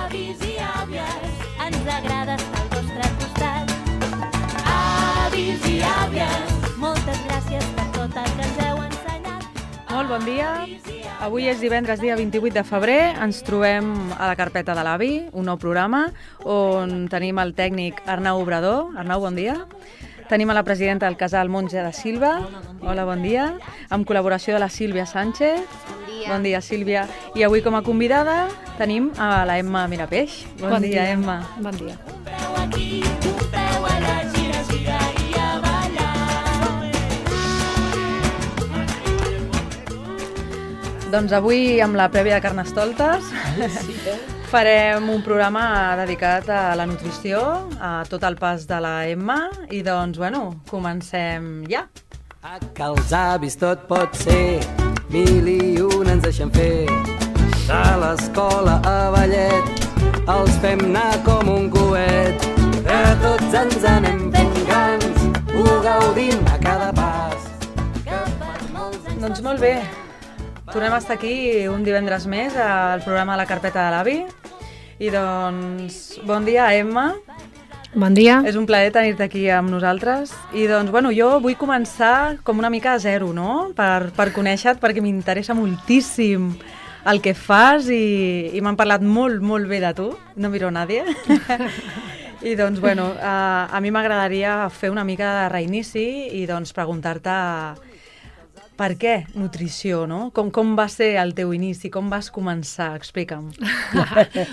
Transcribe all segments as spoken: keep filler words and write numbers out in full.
Avis i àvies, ens agrada estar al vostre costat. Avis i àvies, moltes gràcies per tot el que ens heu ensenyat. Molt bon dia. Avui és divendres, dia vint-i-vuit de febrer. Ens trobem a la carpeta de l'Avi, un nou programa, on tenim el tècnic Arnau Obrador. Arnau, bon dia. Tenim a la presidenta del casal Monja de Silva. Hola, bon dia. Amb col·laboració de la Sílvia Sánchez. Bon dia. Bon dia, Sílvia. I avui com a convidada tenim a la Emma Mirapeix. Bon, Bon dia, dia. Emma. Bon dia. Un peu aquí, un peu allà, gira, gira i a ballar. Doncs avui, amb la prèvia de Carnestoltes, farem un programa dedicat a la nutrició, a tot el pas de la Emma, i doncs, bueno, comencem ja. A que els avis tot pot ser, mil i un ens deixen fer. De l'escola a ballet, els fem anar com un coet. De tots ens anem fent grans, ho gaudim a cada pas. Que per molts anys... Doncs molt bé. Tornem a estar aquí un divendres més al programa de la carpeta de l'Avi. I doncs, bon dia, Emma. Bon dia. És un plaer tenir-te aquí amb nosaltres. I doncs, bueno, jo vull començar com una mica a zero, no? Per, per conèixer-te, perquè m'interessa moltíssim el que fas i, i m'han parlat molt, molt bé de tu. No miro a nadie. I doncs, bueno, a, a mi m'agradaria fer una mica de reinici i doncs preguntar-te per què nutrició, no? Com, com va ser el teu inici? Com vas començar? Explica'm.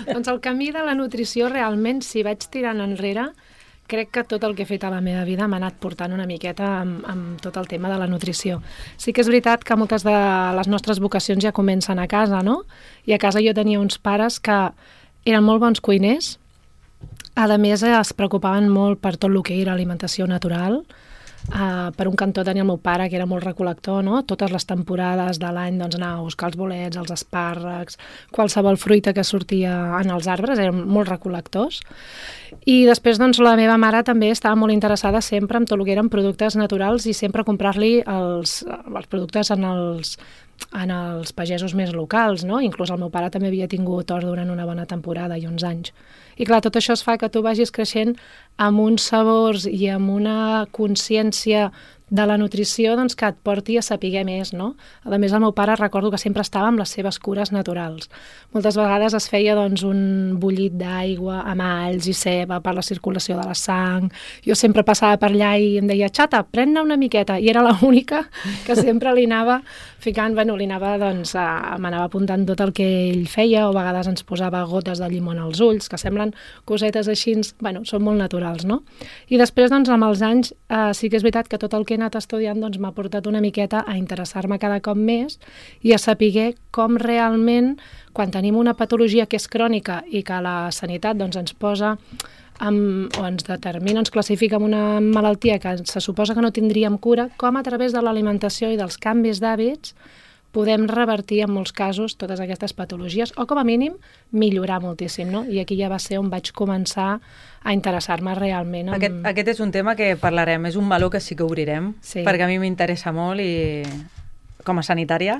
Doncs el camí de la nutrició realment, si vaig tirant enrere, crec que tot el que he fet a la meva vida m'ha anat portant una miqueta amb, amb tot el tema de la nutrició. Sí que és veritat que moltes de les nostres vocacions ja comencen a casa, no? I a casa jo tenia uns pares que eren molt bons cuiners, a més es preocupaven molt per tot el que era alimentació natural. Uh, per un cantó tenia el meu pare, que era molt recol·lector, no? Totes les temporades de l'any doncs, anava a buscar els bolets, els espàrrecs, qualsevol fruita que sortia en els arbres, eren molt recol·lectors. I després doncs, la meva mare també estava molt interessada sempre en tot el que eren productes naturals i sempre comprar-li els, els productes en els, en els pagesos més locals, no? Inclús el meu pare també havia tingut hort durant una bona temporada i uns anys. I clar, tot això es fa que tu vagis creixent amb uns sabors i amb una consciència de la nutrició doncs, que et porti a saber més, no? A més, el meu pare recordo que sempre estava amb les seves cures naturals. Moltes vegades es feia doncs, un bullit d'aigua amb alls i ceba per la circulació de la sang. Jo sempre passava per allà i em deia, xata, pren-ne una miqueta. I era l'única que sempre li anava ficant, bueno, li anava, doncs, a, m'anava apuntant tot el que ell feia, o a vegades ens posava gotes de llimona als ulls, que semblen cosetes així, bueno, són molt naturals, no? I després, doncs, amb els anys, eh, sí que és veritat que tot el que he anat estudiant doncs, m'ha portat una miqueta a interessar-me cada cop més i a saber com realment, quan tenim una patologia que és crònica i que la sanitat doncs, ens posa amb, o ens determina, ens classifica amb una malaltia que se suposa que no tindríem cura, com a través de l'alimentació i dels canvis d'hàbits podem revertir en molts casos totes aquestes patologies o com a mínim millorar moltíssim, no? I aquí ja va ser on vaig començar a interessar-me realment. Amb... Aquest, aquest és un tema que parlarem, és un meló que sí que obrirem, sí. Perquè a mi m'interessa molt i com a sanitària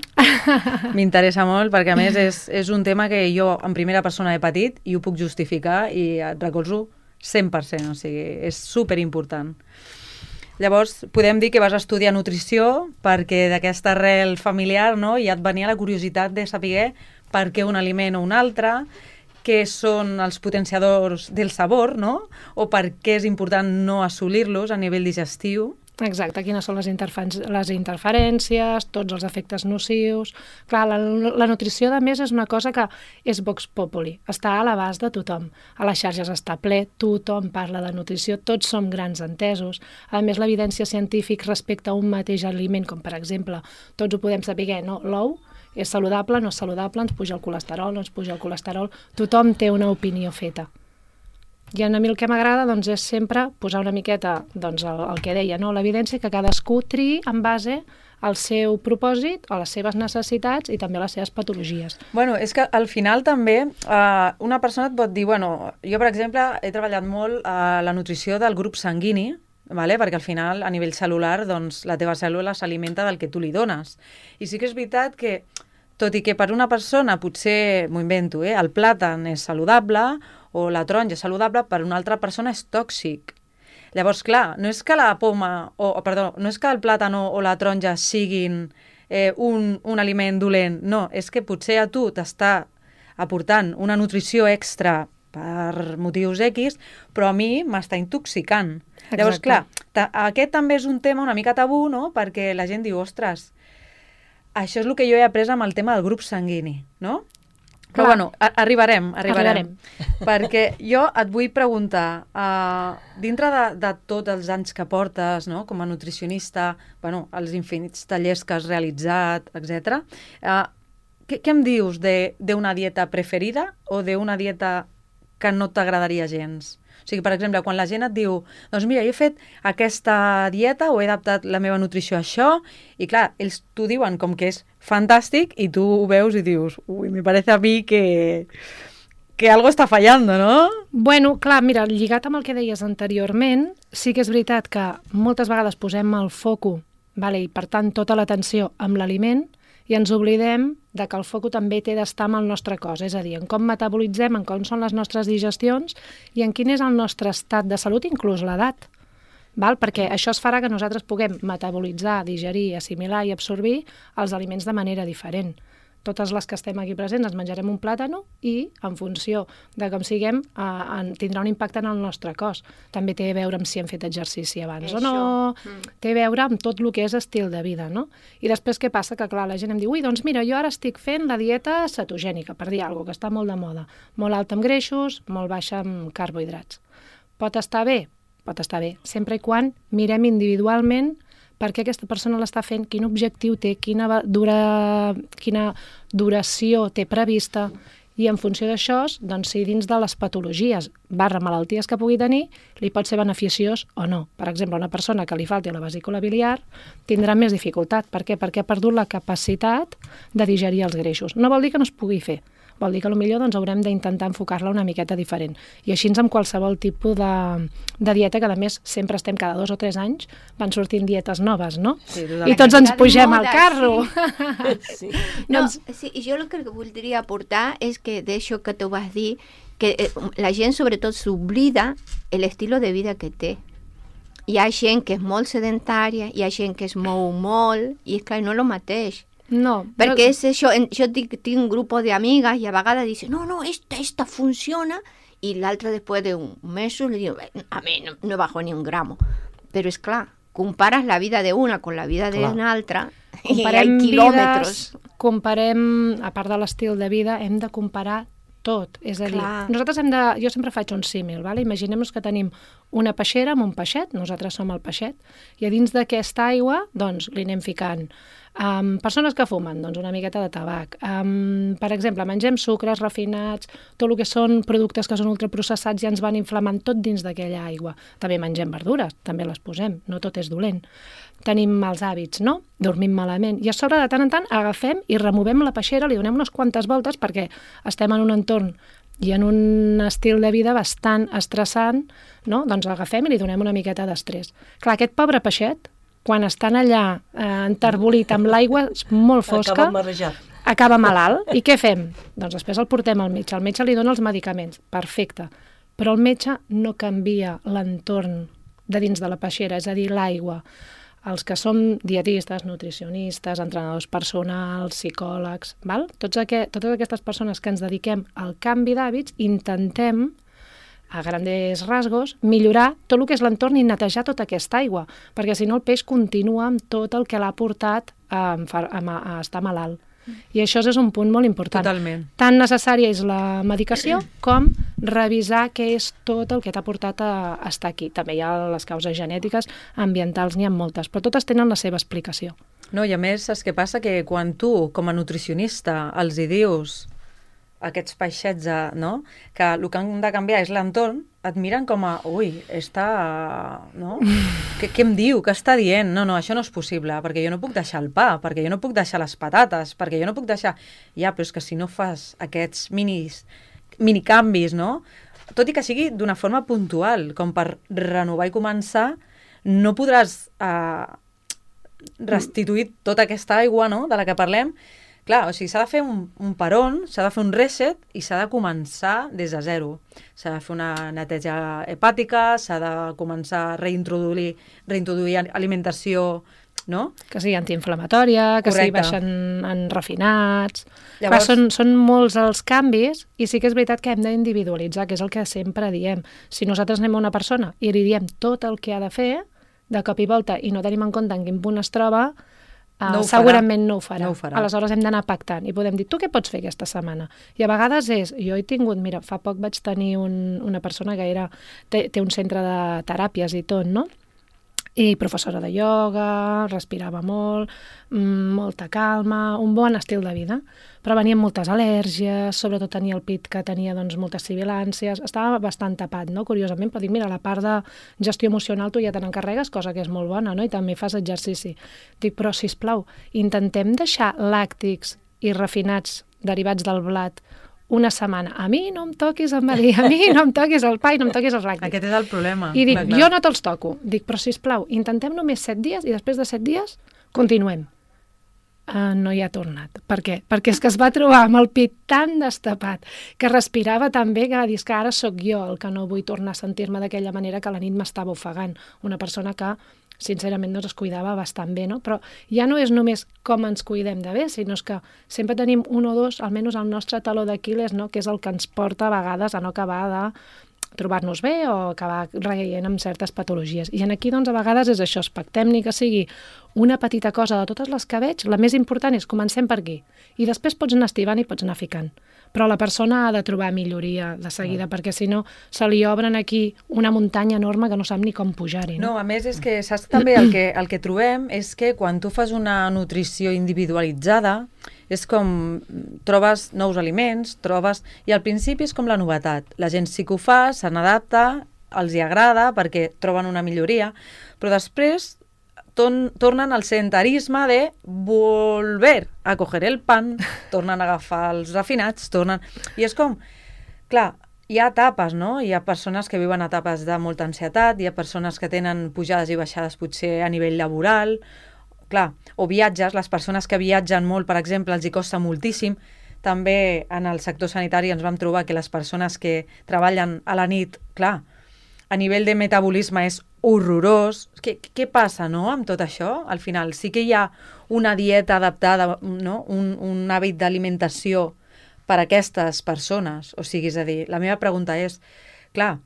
m'interessa molt perquè a més és, és un tema que jo en primera persona he patit i ho puc justificar i et recolzo cent per cent, o sigui, és superimportant. Llavors, podem dir que vas estudiar nutrició perquè d'aquesta arrel familiar, no, ja et venia la curiositat de saber per què un aliment o un altre, què són els potenciadors del sabor, no? O per què és important no assolir-los a nivell digestiu. Exacte, quines són les, les interferències, tots els efectes nocius... Clar, la, la nutrició, a més, és una cosa que és vox populi, està a l'abast de tothom. A les xarxes està ple, tothom parla de nutrició, tots som grans entesos. A més, l'evidència científica respecte a un mateix aliment, com per exemple, tots ho podem saber, no? L'ou és saludable, no és saludable, ens puja el colesterol, no ens puja el colesterol, tothom té una opinió feta. I a mi el que m'agrada doncs, és sempre posar una miqueta doncs, el, el que deia, no? L'evidència que cadascú triï en base al seu propòsit, a les seves necessitats i també a les seves patologies. Bueno, és que al final també eh, una persona et pot dir, bueno, jo per exemple he treballat molt a eh, la nutrició del grup sanguini, vale? Perquè al final a nivell celular doncs, la teva cèl·lula s'alimenta del que tu li dones. I sí que és veritat que tot i que per una persona potser, m'ho invento, eh, el plàtan és saludable o la taronja és saludable, per una altra persona és tòxic. Llavors, clar, no és que la poma, o, o perdó, no és que el plàtan o, o la taronja siguin eh, un, un aliment dolent, no, és que potser a tu t'està aportant una nutrició extra per motius X, però a mi m'està intoxicant. Exacte. Llavors, clar, ta, aquest també és un tema una mica tabú, no?, perquè la gent diu, ostres, això és el que jo he après amb el tema del grup sanguini, no? Però Clar. bueno, a arribarem, arribarem. Arribarem. Perquè jo et vull preguntar, uh, dintre de, de tots els anys que portes, no?, com a nutricionista, bueno, els infinits tallers que has realitzat, etcètera, uh, què, què em dius d'una dieta preferida o d'una dieta que no t'agradaria gens? O sigui, per exemple, quan la gent et diu, doncs mira, jo he fet aquesta dieta o he adaptat la meva nutrició a això, i clar, ells t'ho diuen com que és fantàstic i tu ho veus i dius, ui, me parece a mi que, que algo està fallando, ¿no? Bueno, clar, mira, lligat amb el que deies anteriorment, sí que és veritat que moltes vegades posem el foco, vale, i per tant tota l'atenció amb l'aliment, i ens oblidem de que el foco també té d'estar amb el nostre cos, és a dir, en com metabolitzem, en com són les nostres digestions i en quin és el nostre estat de salut, inclús l'edat. Val? Perquè això es farà que nosaltres puguem metabolitzar, digerir, assimilar i absorbir els aliments de manera diferent. Totes les que estem aquí presents ens menjarem un plàtano i, en funció de com siguem, eh, tindrà un impacte en el nostre cos. També té a veure amb si hem fet exercici abans Això. o no, Mm. té a veure amb tot el que és estil de vida, no? I després què passa? Que, clar, la gent em diu, ui, doncs mira, jo ara estic fent la dieta cetogènica, per dir alguna cosa, que està molt de moda. Molt alta en greixos, molt baixa en carbohidrats. Pot estar bé? Pot estar bé, sempre i quan mirem individualment per què aquesta persona l'està fent, quin objectiu té, quina, dura, quina duració té prevista, i en funció d'això, doncs, si dins de les patologies barra malalties que pugui tenir, li pot ser beneficiós o no. Per exemple, una persona que li falti la vesícula biliar tindrà més dificultat. Per què? Perquè ha perdut la capacitat de digerir els greixos. No vol dir que no es pugui fer, vol dir que potser doncs, haurem d'intentar enfocar-la una miqueta diferent. I així amb qualsevol tipus de, de dieta, que a més sempre estem cada dos o tres anys, van sortint dietes noves, no? Sí, totalment. I tots ens Cada pugem moda, al carro. Sí. Sí. No, Doncs- sí, i jo el que voldria aportar és que d'això que tu vas dir, que eh, la gent sobretot s'oblida l'estil de vida que té. Hi ha gent que és molt sedentària, hi ha gent que es mou molt, i és clar, no el mateix. No, Perquè jo- és això, en- jo tinc, tinc un grup d'amigas i a vegades dicen, no, no, esta, esta funciona, i l'altra després d'un mes li diu, a mi no, no bajo ni un gramo. Però és clar, compares la vida de una con la vida de Clar. una altra, i hi ha comparem quilòmetres. vides, comparem, a part de l'estil de vida, hem de comparar tot. És a dir, Clar. nosaltres hem de... Jo sempre faig un símil, vale? Imaginem-nos que tenim una peixera amb un peixet, nosaltres som el peixet, i a dins d'aquesta aigua, doncs, li anem ficant um, persones que fumen, doncs una miqueta de tabac. Um, per exemple, mengem sucres refinats, tot el que són productes que són ultraprocessats i ens van inflamant tot dins d'aquella aigua. També mengem verdures, també les posem, no tot és dolent. Tenim mals hàbits, no? Dormim malament. I a sobre, de tant en tant, agafem i removem la peixera, li donem unes quantes voltes perquè estem en un entorn i en un estil de vida bastant estressant, no? Doncs l'agafem i li donem una miqueta d'estrès. Clar, aquest pobre peixet, quan estan allà eh, enterbolit amb l'aigua molt fosca, Acaba marejat. acaba malalt. I què fem? Doncs després el portem al metge. El metge li dona els medicaments. Perfecte. Però el metge no canvia l'entorn de dins de la peixera, és a dir, l'aigua. Els que som dietistes, nutricionistes, entrenadors personals, psicòlegs, val? Tots aqu totes aquestes persones que ens dediquem al canvi d'hàbits, intentem, a grandes rasgos, millorar tot el que és l'entorn i netejar tota aquesta aigua, perquè si no el peix continua amb tot el que l'ha portat a, a, a, a estar malalt. I això és un punt molt important. Totalment. Tan necessària és la medicació com revisar què és tot el que t'ha portat a estar aquí. També hi ha les causes genètiques, ambientals, n'hi ha moltes, però totes tenen la seva explicació. No, i a més, saps què passa? Que quan tu, com a nutricionista, els hi dius a aquests peixets, eh, no?, que el que han de canviar és l'entorn, et miren com a, ui, està... no? Què, què em diu? Què està dient? No, no, això no és possible, perquè jo no puc deixar el pa, perquè jo no puc deixar les patates, perquè jo no puc deixar... Ja, però és que si no fas aquests minis, minicanvis, no?, tot i que sigui d'una forma puntual, com per renovar i començar, no podràs eh, restituir tota aquesta aigua, no?, de la que parlem, Clar, o sigui, s'ha de fer un, un peron, s'ha de fer un reset i s'ha de començar des de zero. S'ha de fer una neteja hepàtica, s'ha de començar a reintroduir, reintroduir alimentació, no? Que sigui antiinflamatòria, que sigui Correcte. baixen en refinats... Llavors- Clar, són, són molts els canvis i sí que és veritat que hem d'individualitzar, que és el que sempre diem. Si nosaltres anem a una persona i li diem tot el que ha de fer, de cop i volta, i no tenim en compte en quin punt es troba, uh, No ho farà. segurament no ho farà. No ho farà. Aleshores hem d'anar pactant i podem dir, tu què pots fer aquesta setmana? I a vegades és, jo he tingut, mira, fa poc vaig tenir un, una persona que era, té, té un centre de teràpies i tot, no? I professora de ioga, respirava molt, mm, molta calma, un bon estil de vida, però venia amb moltes al·lèrgies, sobretot tenia el pit que tenia doncs, moltes sibilàncies, estava bastant tapat, no? Curiosament, però dic, mira, la part de gestió emocional tu ja te n'encarregues, cosa que és molt bona, no? I també fas exercici. Dic, però, sisplau, intentem deixar làctics i refinats derivats del blat una setmana. A mi no em toquis el melí, a mi no em toquis el pa i no em toquis els làctics. Aquest és el problema. I dic, clar, clar. jo no te'ls toco. Dic, però sisplau, intentem només set dies i després de set dies continuem. Uh, no hi ha tornat. Per què? Perquè és que es va trobar amb el pit tan destapat, que respirava tan bé, que va dir, és que ara sóc jo el que no vull tornar a sentir-me d'aquella manera que la nit m'estava ofegant. Una persona que sincerament doncs es cuidava bastant bé, no? Però ja no és només com ens cuidem de bé, sinó que sempre tenim un o dos, almenys el nostre taló d'Aquil·les, no? Que és el que ens porta a vegades a no acabar de trobar-nos bé o acabar reient amb certes patologies. I en aquí, doncs, a vegades és això, espectem ni que sigui una petita cosa de totes les que veig, la més important és comencem per aquí. I després pots anar estivant i pots anar ficant. Però la persona ha de trobar milloria de seguida, mm. perquè si no se li obren aquí una muntanya enorme que no sap ni com pujar-hi. No, a més és que saps també el que, el que trobem és que quan tu fas una nutrició individualitzada és com trobes nous aliments, trobes... I al principi és com la novetat. La gent sí que ho fa, se n'adapta, els hi agrada perquè troben una milloria, però després ton, tornen al sedentarisme de volver a coger el pan, tornen a agafar els refinats, tornen... I és com... Clar, hi ha etapes, no? Hi ha persones que viuen etapes de molta ansietat, hi ha persones que tenen pujades i baixades potser a nivell laboral, clar, o viatges, les persones que viatgen molt, per exemple, els hi costa moltíssim. També en el sector sanitari ens vam trobar que les persones que treballen a la nit, clar, a nivell de metabolisme és horrorós. Què, què passa, no?, amb tot això? Al final sí que hi ha una dieta adaptada, no?, un, un hàbit d'alimentació per a aquestes persones. O sigui, és a dir, la meva pregunta és, clar,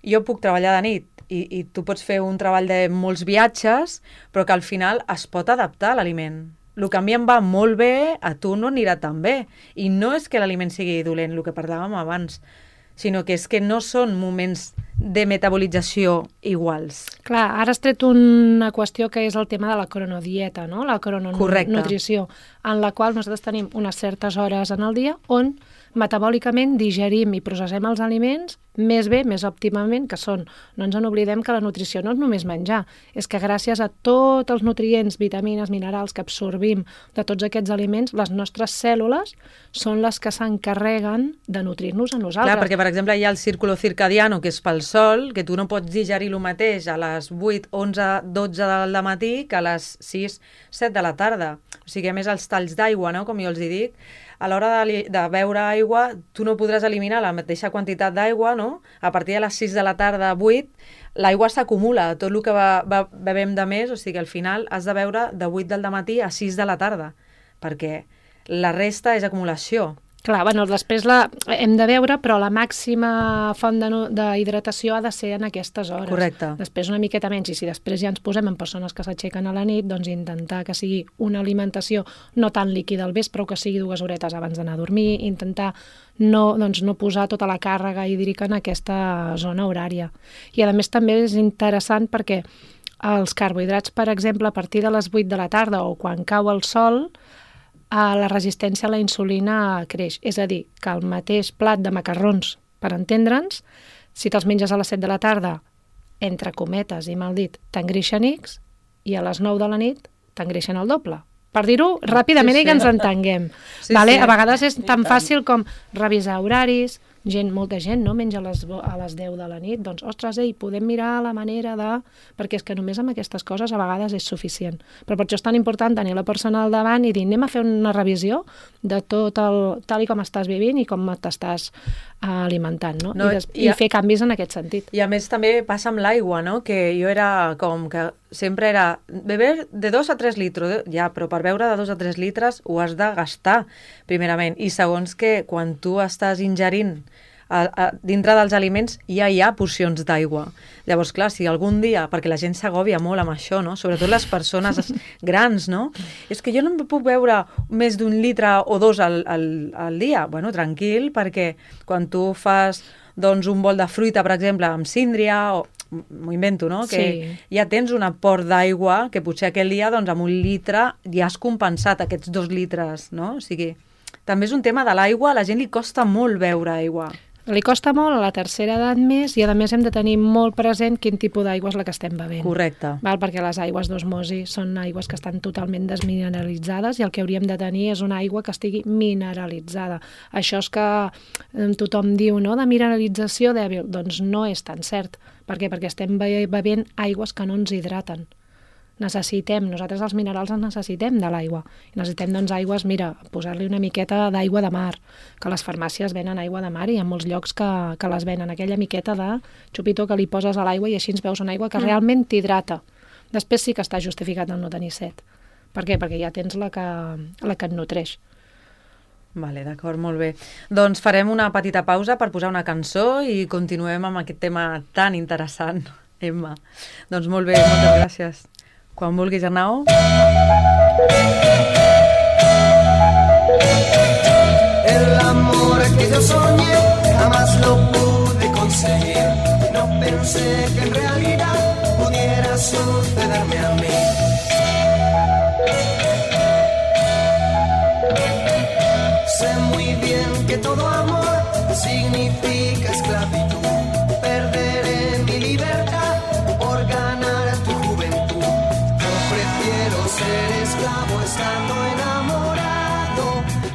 jo puc treballar de nit i, i tu pots fer un treball de molts viatges, però que al final es pot adaptar a l'aliment. El que a mi em va molt bé, a tu no anirà tan bé. I no és que l'aliment sigui dolent, el que parlàvem abans, sinó que és que no són moments de metabolització iguals. Clar, ara has tret una qüestió que és el tema de la cronodieta, no? La crononutrició, en la qual nosaltres tenim unes certes hores en el dia on metabòlicament digerim i processem els aliments més bé, més òptimament, que són. No ens en oblidem que la nutrició no és només menjar, és que gràcies a tots els nutrients, vitamines, minerals que absorbim de tots aquests aliments, les nostres cèl·lules són les que s'encarreguen de nutrir-nos a nosaltres. Clar, perquè, per exemple, hi ha el círculo circadiano, que és pel sol, que tu no pots digerir el mateix a les vuit, onze, dotze del matí que a les sis, set de la tarda. O sigui, a més, els talls d'aigua, no?, com jo els hi dic, a l'hora de, de beure aigua, tu no podràs eliminar la mateixa quantitat d'aigua, no? A partir de les sis de la tarda, vuit, l'aigua s'acumula, tot el que va, va, bevem de més, o sigui, al final has de beure de vuit del matí a sis de la tarda, perquè la resta és acumulació. Clar, bueno, després la hem de veure, però la màxima font d'hidratació ha de ser en aquestes hores. Correcte. Després una miqueta menys, i si després ja ens posem en persones que s'aixequen a la nit, doncs intentar que sigui una alimentació no tan líquida al vespre, però que sigui dues horetes abans d'anar a dormir, intentar no, doncs, no posar tota la càrrega hídrica en aquesta zona horària. I a més també és interessant perquè els carbohidrats, per exemple, a partir de les vuit de la tarda o quan cau el sol, la resistència a la insulina creix. És a dir, que el mateix plat de macarrons, per entendre'ns, si te'ls menges a les set de la tarda, entre cometes i mal dit, t'engreixen X, i a les nou de la nit t'engreixen el doble. Per dir-ho ràpidament sí, sí. I que ens entenguem. Sí, vale? sí. A vegades és tan fàcil com revisar horaris, gent, molta gent, no? Menja a les, a les deu de la nit, doncs, ostres, ei, podem mirar la manera de... Perquè és que només amb aquestes coses a vegades és suficient. Però per això és tan important tenir la persona al davant i dir, anem a fer una revisió de tot el... tal i com estàs vivint i com t'estàs alimentant, no? No, I, des, i a- i fer canvis en aquest sentit. I a més també passa amb l'aigua, no? Que jo era com que sempre era beber de dos a tres litres, ja, però per beure de dos a tres litres ho has de gastar, primerament. I segons que quan tu estàs ingerint a, a, dintre dels aliments ja hi ha porcions d'aigua. Llavors, clar, si algun dia, perquè la gent s'agòbia molt amb això, no? Sobretot les persones grans, no? És que jo no em puc beure més d'un litre o dos al, al, al dia. Bueno, tranquil, perquè quan tu fas doncs, un bol de fruita, per exemple, amb síndria, o m'ho invento, no? Que Sí. ja tens un aport d'aigua que potser aquell dia doncs, amb un litre ja has compensat aquests dos litres, no? O sigui, també és un tema de l'aigua, a la gent li costa molt beure aigua. Li costa molt a la tercera edat més i a més hem de tenir molt present quin tipus d'aigua és la que estem bevent. Correcte. Val? Perquè les aigües d'osmosi són aigües que estan totalment desmineralitzades i el que hauríem de tenir és una aigua que estigui mineralitzada. Això és que eh, tothom diu, no?, de mineralització dèbil. Doncs no és tan cert. Per què? Perquè estem be- bevent aigües que no ens hidraten. Necessitem, nosaltres els minerals ens necessitem de l'aigua. I necessitem, doncs, aigües, mira, posar-li una miqueta d'aigua de mar, que les farmàcies venen aigua de mar i hi ha molts llocs que, que les venen, aquella miqueta de xupito que li poses a l'aigua i així ens veus una aigua que mm. realment t'hidrata. Després sí que està justificat el no tenir set. Per què? Perquè ja tens la que, la que et nutreix. Vale, d'acord, molt bé. Doncs farem una petita pausa per posar una cançó i continuem amb aquest tema tan interessant, Emma. Doncs molt bé, moltes gràcies. Quan vulguis, Arnau. El amor que yo soñé jamás lo pude conseguir. No pensé que en realidad pudiera sucederme a mí. Sé muy bien que todo amor significa esclavitud. Perderé mi libertad por ganar tu juventud. Yo prefiero ser esclavo estando enamorado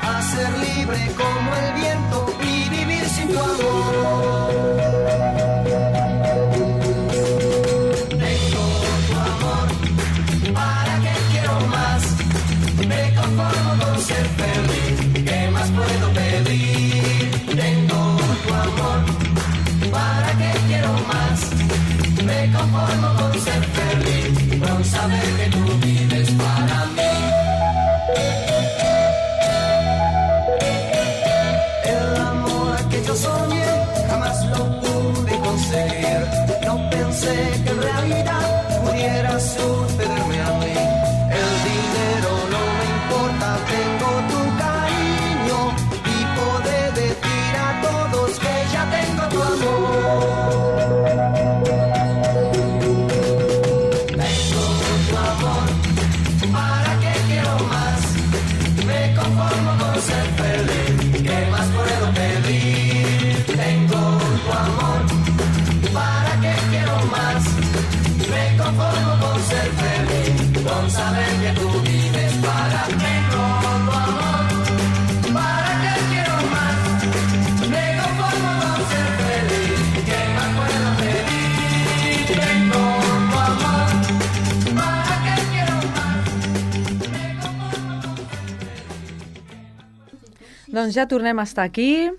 a ser libre como el viento y vivir sin tu amor. Tengo tu amor, ¿para qué quiero más? Me conformo con ser feliz, ¿qué más puedo pedir? Tengo tu amor, ¿para qué quiero más? Me conformo con ser feliz, con saber que tú vives para mí. El amor que yo soñé jamás lo pude conseguir. No pensé que en realidad pudiera sucederme a mí. El dinero no me importa, tengo tu cariño y poder decir a todos que ya tengo tu amor. Tengo tu amor, ¿para qué quiero más? Me conformo con ser feliz, ¿qué más puedo pedir? Tengo tu amor, ¿para qué quiero más? Me conformo con ser feliz, con saber que tú vives para mí. Tengo tu amor, ¿para qué quiero más? Me conformo con ser feliz, ¿qué más puedo pedir? Tengo tu amor, ¿para qué quiero más? Me conformo con Doncs ja tornem a estar aquí.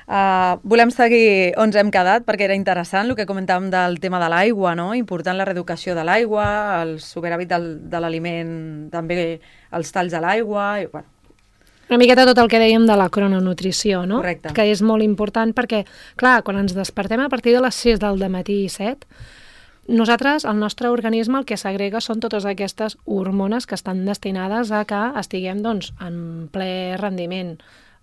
Uh, volem seguir on hem quedat perquè era interessant el que comentàvem del tema de l'aigua, no? Important la reeducació de l'aigua, el superàvit del, de l'aliment, també els talls de l'aigua, i, bueno, Una miqueta tot el que dèiem de la crononutrició, no? Correcte. Que és molt important perquè, clar, quan ens despertem a partir de les sis del dematí i set, nosaltres, el nostre organisme, el que segrega són totes aquestes hormones que estan destinades a que estiguem, doncs, en ple rendiment.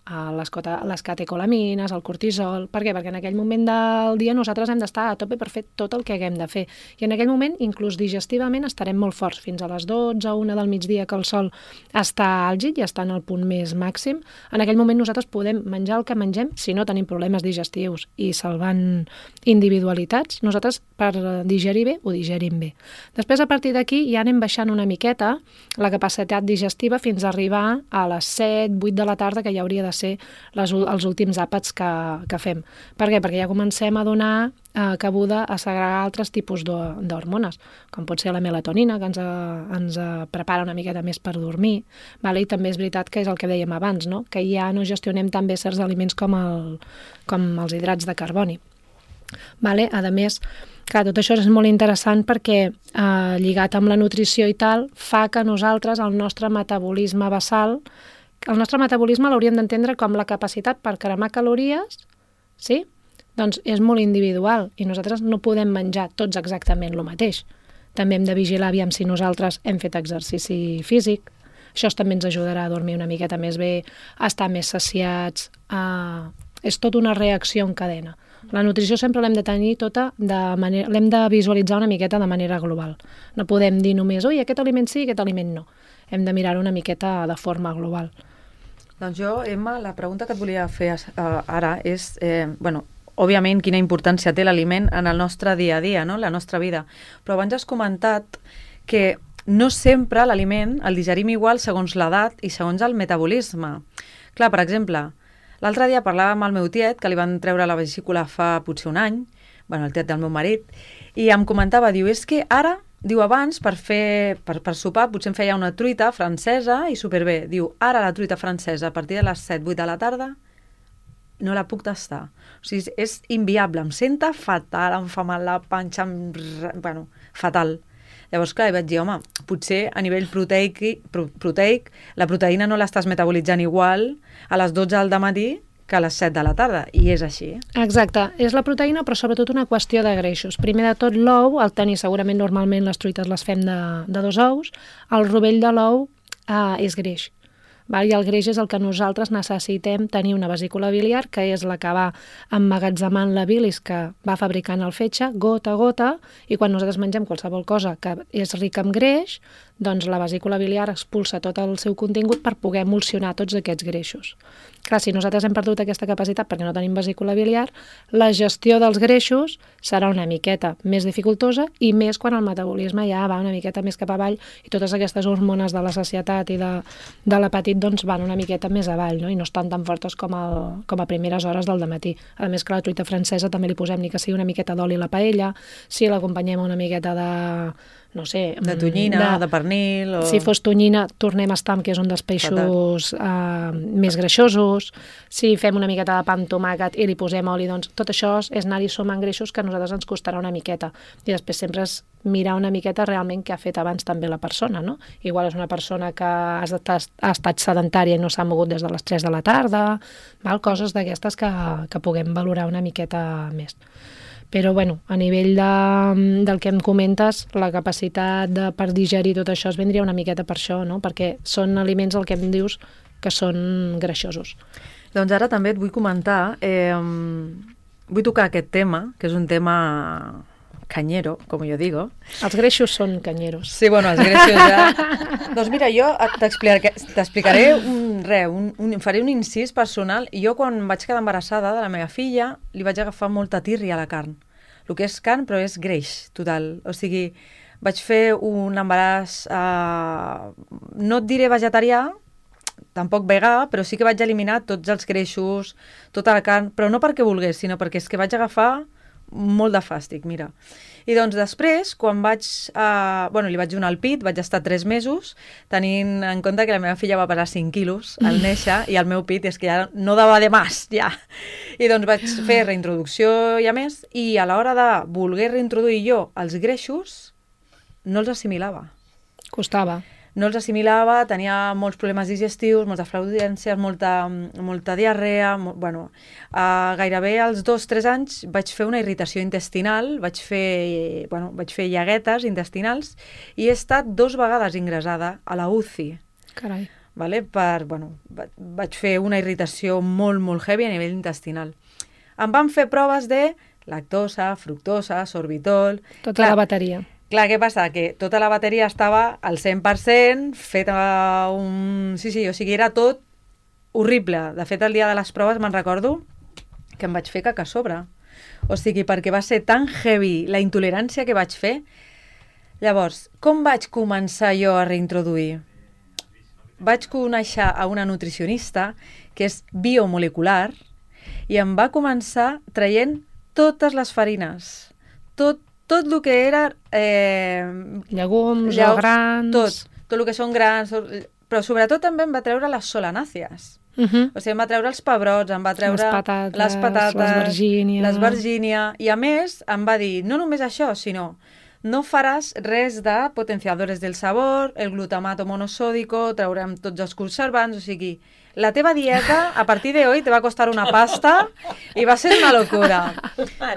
A les, cota, les catecolamines, el cortisol... Per què? Perquè en aquell moment del dia nosaltres hem d'estar a tope per fer tot el que haguem de fer. I en aquell moment, inclús digestivament, estarem molt forts. Fins a les dotze, una del migdia, que el sol està àlgid i està en el punt més màxim. En aquell moment nosaltres podem menjar el que mengem si no tenim problemes digestius i salvant individualitats. Nosaltres, per digerir bé, ho digerim bé. Després, a partir d'aquí, ja anem baixant una miqueta la capacitat digestiva fins a arribar a les set, vuit de la tarda, que ja hauria de de ser les, els últims àpats que, que fem. Per què? Perquè ja comencem a donar eh, cabuda a segregar altres tipus d'hormones, com pot ser la melatonina, que ens, a, ens a prepara una miqueta més per dormir, vale? I també és veritat que és el que dèiem abans, no? Que ja no gestionem tan bé certs aliments com, el, com els hidrats de carboni. Vale? A més, clar, tot això és molt interessant perquè eh, lligat amb la nutrició i tal, fa que nosaltres, el nostre metabolisme basal, el nostre metabolisme l'hauríem d'entendre com la capacitat per cremar calories, sí? Doncs és molt individual i nosaltres no podem menjar tots exactament el mateix. També hem de vigilar aviam si nosaltres hem fet exercici físic. Això també ens ajudarà a dormir una miqueta més bé, a estar més saciats. A... És tota una reacció en cadena. La nutrició sempre l'hem de tenir tota de manera... l'hem de visualitzar una miqueta de manera global. No podem dir només, ui, aquest aliment sí, aquest aliment no. Hem de mirar-ho una miqueta de forma global. Doncs jo, Emma, la pregunta que et volia fer uh, ara és, eh, bueno, òbviament, quina importància té l'aliment en el nostre dia a dia, no? La nostra vida. Però abans has comentat que no sempre l'aliment el digerim igual segons l'edat i segons el metabolisme. Clar, per exemple, l'altre dia parlava amb el meu tiet, que li van treure la vesícula fa potser un any, bueno, el tiet del meu marit, i em comentava, diu, és que ara, diu, abans, per fer, per, per sopar, potser em feia una truita francesa i superbé. Diu, ara la truita francesa a partir de les set vuit de la tarda no la puc tastar. O sigui, és inviable, em senta fatal, em fa mal la panxa, em... bueno, fatal. Llavors, clar, vaig dir, home, potser a nivell proteic, proteic la proteïna no l'estàs metabolitzant igual a les dotze del matí que a les set de la tarda, i és així. Exacte, és la proteïna, però sobretot una qüestió de greixos. Primer de tot, l'ou, el tenir segurament normalment les truites les fem de, de dos ous, el rovell de l'ou eh, és greix. Val? I el greix és el que nosaltres necessitem tenir una vesícula biliar, que és la que va emmagatzemant la bilis que va fabricant el fetge, gota a gota, i quan nosaltres mengem qualsevol cosa que és rica en greix, doncs la vesícula biliar expulsa tot el seu contingut per poder emulsionar tots aquests greixos. Clar, si nosaltres hem perdut aquesta capacitat perquè no tenim vesícula biliar, la gestió dels greixos serà una miqueta més dificultosa i més quan el metabolisme ja va una miqueta més cap avall i totes aquestes hormones de la sacietat i de, de l'apetit doncs van una miqueta més avall, no? I no estan tan fortes com, el, com a primeres hores del dematí. A més que la truita francesa també li posem ni que sigui una miqueta d'oli a la paella, si l'acompanyem una miqueta de... no sé... De tonyina, de, de pernil... O... Si fos tonyina, tornem a estar, que és un dels peixos eh, més greixosos. Si fem una miqueta de pa amb tomàquet i li posem oli, doncs tot això és anar-hi sumant greixos que a nosaltres ens costarà una miqueta. I després sempre és mirar una miqueta realment què ha fet abans també la persona, no? Igual és una persona que ha estat, ha estat sedentària i no s'ha mogut des de les tres de la tarda, val? Coses d'aquestes que, que puguem valorar una miqueta més. Però, bueno, a nivell de, del que em comentes, la capacitat de, per digerir tot això es vendria una miqueta per això, no? Perquè són aliments, el que em dius, que són greixosos. Doncs ara també et vull comentar, eh, vull tocar aquest tema, que és un tema cañero, com jo digo. Els greixos són canyeros. Sí, bueno, els greixos ja... Doncs mira, jo t'explicaré un, re, un, un, faré un incís personal. Jo quan vaig quedar embarassada de la meva filla li vaig agafar molta tírria a la carn. El que és carn, però és greix, total. O sigui, vaig fer un embaràs, eh, no et diré vegetarià, tampoc vegà, però sí que vaig eliminar tots els greixos, tota la carn, però no perquè volgués, sinó perquè és que vaig agafar molt de fàstic, mira. I doncs després, quan vaig... Eh, bueno, li vaig donar el pit, vaig estar tres mesos, tenint en compte que la meva filla va pesar cinc quilos al néixer i el meu pit és que ja no dava de más, ja. I doncs vaig fer reintroducció i a més, i a l'hora de voler reintroduir jo els greixos, no els assimilava. Costava. No els assimilava, tenia molts problemes digestius, moltes flaudències, molta, molta diarrea, mo, bueno, uh, gairebé als dos o tres anys vaig fer una irritació intestinal, vaig fer, bueno, vaig fer llaguetes intestinals i he estat dos vegades ingressada a la U C I. Carai. Vale? Per, bueno, vaig fer una irritació molt, molt heavy a nivell intestinal. Em van fer proves de lactosa, fructosa, sorbitol... Tota Clar, la bateria. Clar, què passa? Que tota la bateria estava al cent per cent, feta un... Sí, sí, o sigui, era tot horrible. De fet, el dia de les proves me'n recordo que em vaig fer caca a sobre. O sigui, perquè va ser tan heavy la intolerància que vaig fer. Llavors, com vaig començar jo a reintroduir? vaig conèixer a una nutricionista que és biomolecular i em va començar traient totes les farines, tot, tot el que era... Eh, Llegums, llau- o grans... Tot, tot el que són grans, tot- però sobretot també em va treure les solanàcies. Uh -huh. O sigui, em va treure els pebrots, em va treure Les patates, les, patates, les vergínia. les vergínia, i a més em va dir, no només això, sinó no faràs res de potenciadores del sabor, el glutamato monosòdico, traurem tots els conservants, o sigui, la teva dieta a partir de hoy te va costar una pasta i va ser una locura.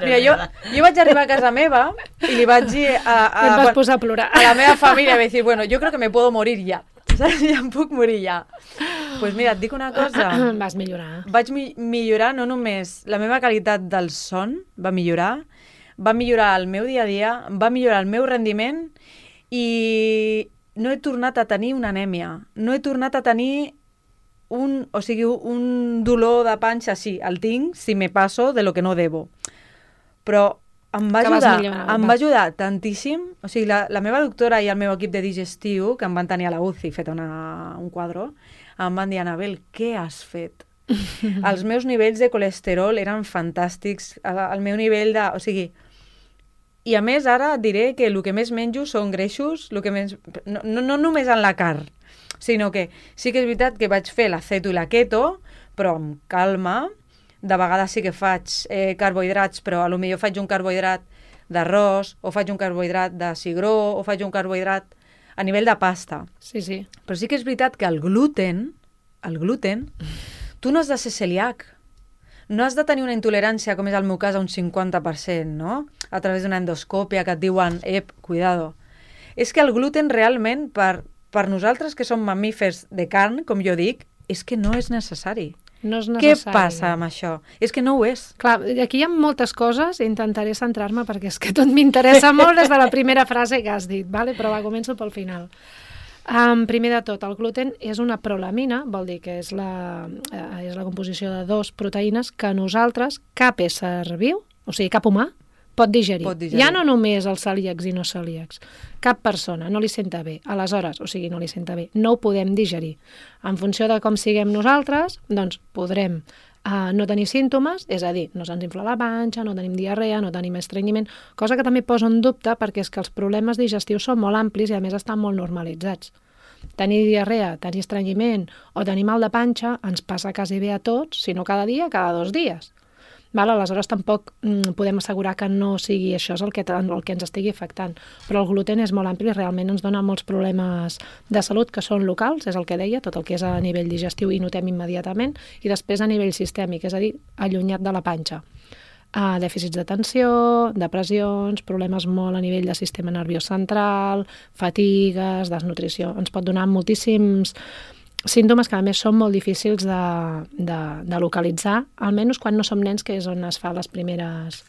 Mira, jo, jo vaig arribar a casa meva i li vaig dir a, a, I et vas bueno, posar a plorar. a la meva família, vaig dir, bueno, yo creo que me puedo morir ya. Saps? Ja em puc morir ja. Doncs pues mira, et dic una cosa. Vas millorar. Vaig mi millorar no només la meva qualitat del son, va millorar, va millorar el meu dia a dia, va millorar el meu rendiment i no he tornat a tenir una anèmia. No he tornat a tenir un, o sigui, un dolor de panxa, sí, el tinc si me passo de lo que no debo. Però em va Que vas ajudar, millorant, em va. va ajudar tantíssim. O sigui, la, la meva doctora i el meu equip de digestiu, que em van tenir a la U C I fet una, un quadre, em van dir, Anabel, què has fet? Els meus nivells de colesterol eren fantàstics, el, el meu nivell de... O sigui, i a més ara et diré que el que més menjo són greixos, el que més, no, no, no només en la carn, sinó que sí que és veritat que vaig fer la ceto i la keto, però amb calma. De vegades sí que faig eh, carbohidrats, però a lo millor faig un carbohidrat d'arròs, o faig un carbohidrat de cigró, o faig un carbohidrat a nivell de pasta. Sí, sí. Però sí que és veritat que el gluten, el gluten, tu no has de ser celíac. No has de tenir una intolerància, com és el meu cas, a un cinquanta per cent, no? A través d'una endoscòpia que et diuen, ep, cuidado. És que el gluten realment, per, per nosaltres que som mamífers de carn, com jo dic, és que no és necessari. No és Què necessari. passa amb això? És que no ho és. Clar, aquí hi ha moltes coses, intentaré centrar-me perquè és que tot m'interessa molt des de la primera frase que has dit, vale? Però va, començo pel final. Um, primer de tot, el gluten és una prolamina, vol dir que és la, eh, és la composició de dos proteïnes que nosaltres, cap ésser viu, o sigui, cap humà, pot digerir. Pot digerir. Ja no només els celíacs i no celíacs. Cap persona no li senta bé. Aleshores, o sigui, no li senta bé. No ho podem digerir. En funció de com siguem nosaltres, doncs podrem uh, no tenir símptomes, és a dir, no se'ns infla la panxa, no tenim diarrea, no tenim estrenyiment, cosa que també posa en dubte perquè és que els problemes digestius són molt amplis i a més estan molt normalitzats. Tenir diarrea, tenir estrenyiment o tenir mal de panxa ens passa quasi bé a tots, si no cada dia, cada dos dies. Val? Aleshores tampoc mm, podem assegurar que no sigui això és el que, el que ens estigui afectant. Però el gluten és molt ampli i realment ens dona molts problemes de salut que són locals, és el que deia, tot el que és a nivell digestiu i notem immediatament, i després a nivell sistèmic, és a dir, allunyat de la panxa. Uh, dèficits d'atenció, depressions, problemes molt a nivell de sistema nerviós central, fatigues, desnutrició. Ens pot donar moltíssims símptomes que a més són molt difícils de, de, de localitzar, almenys quan no som nens, que és on es fa les primeres...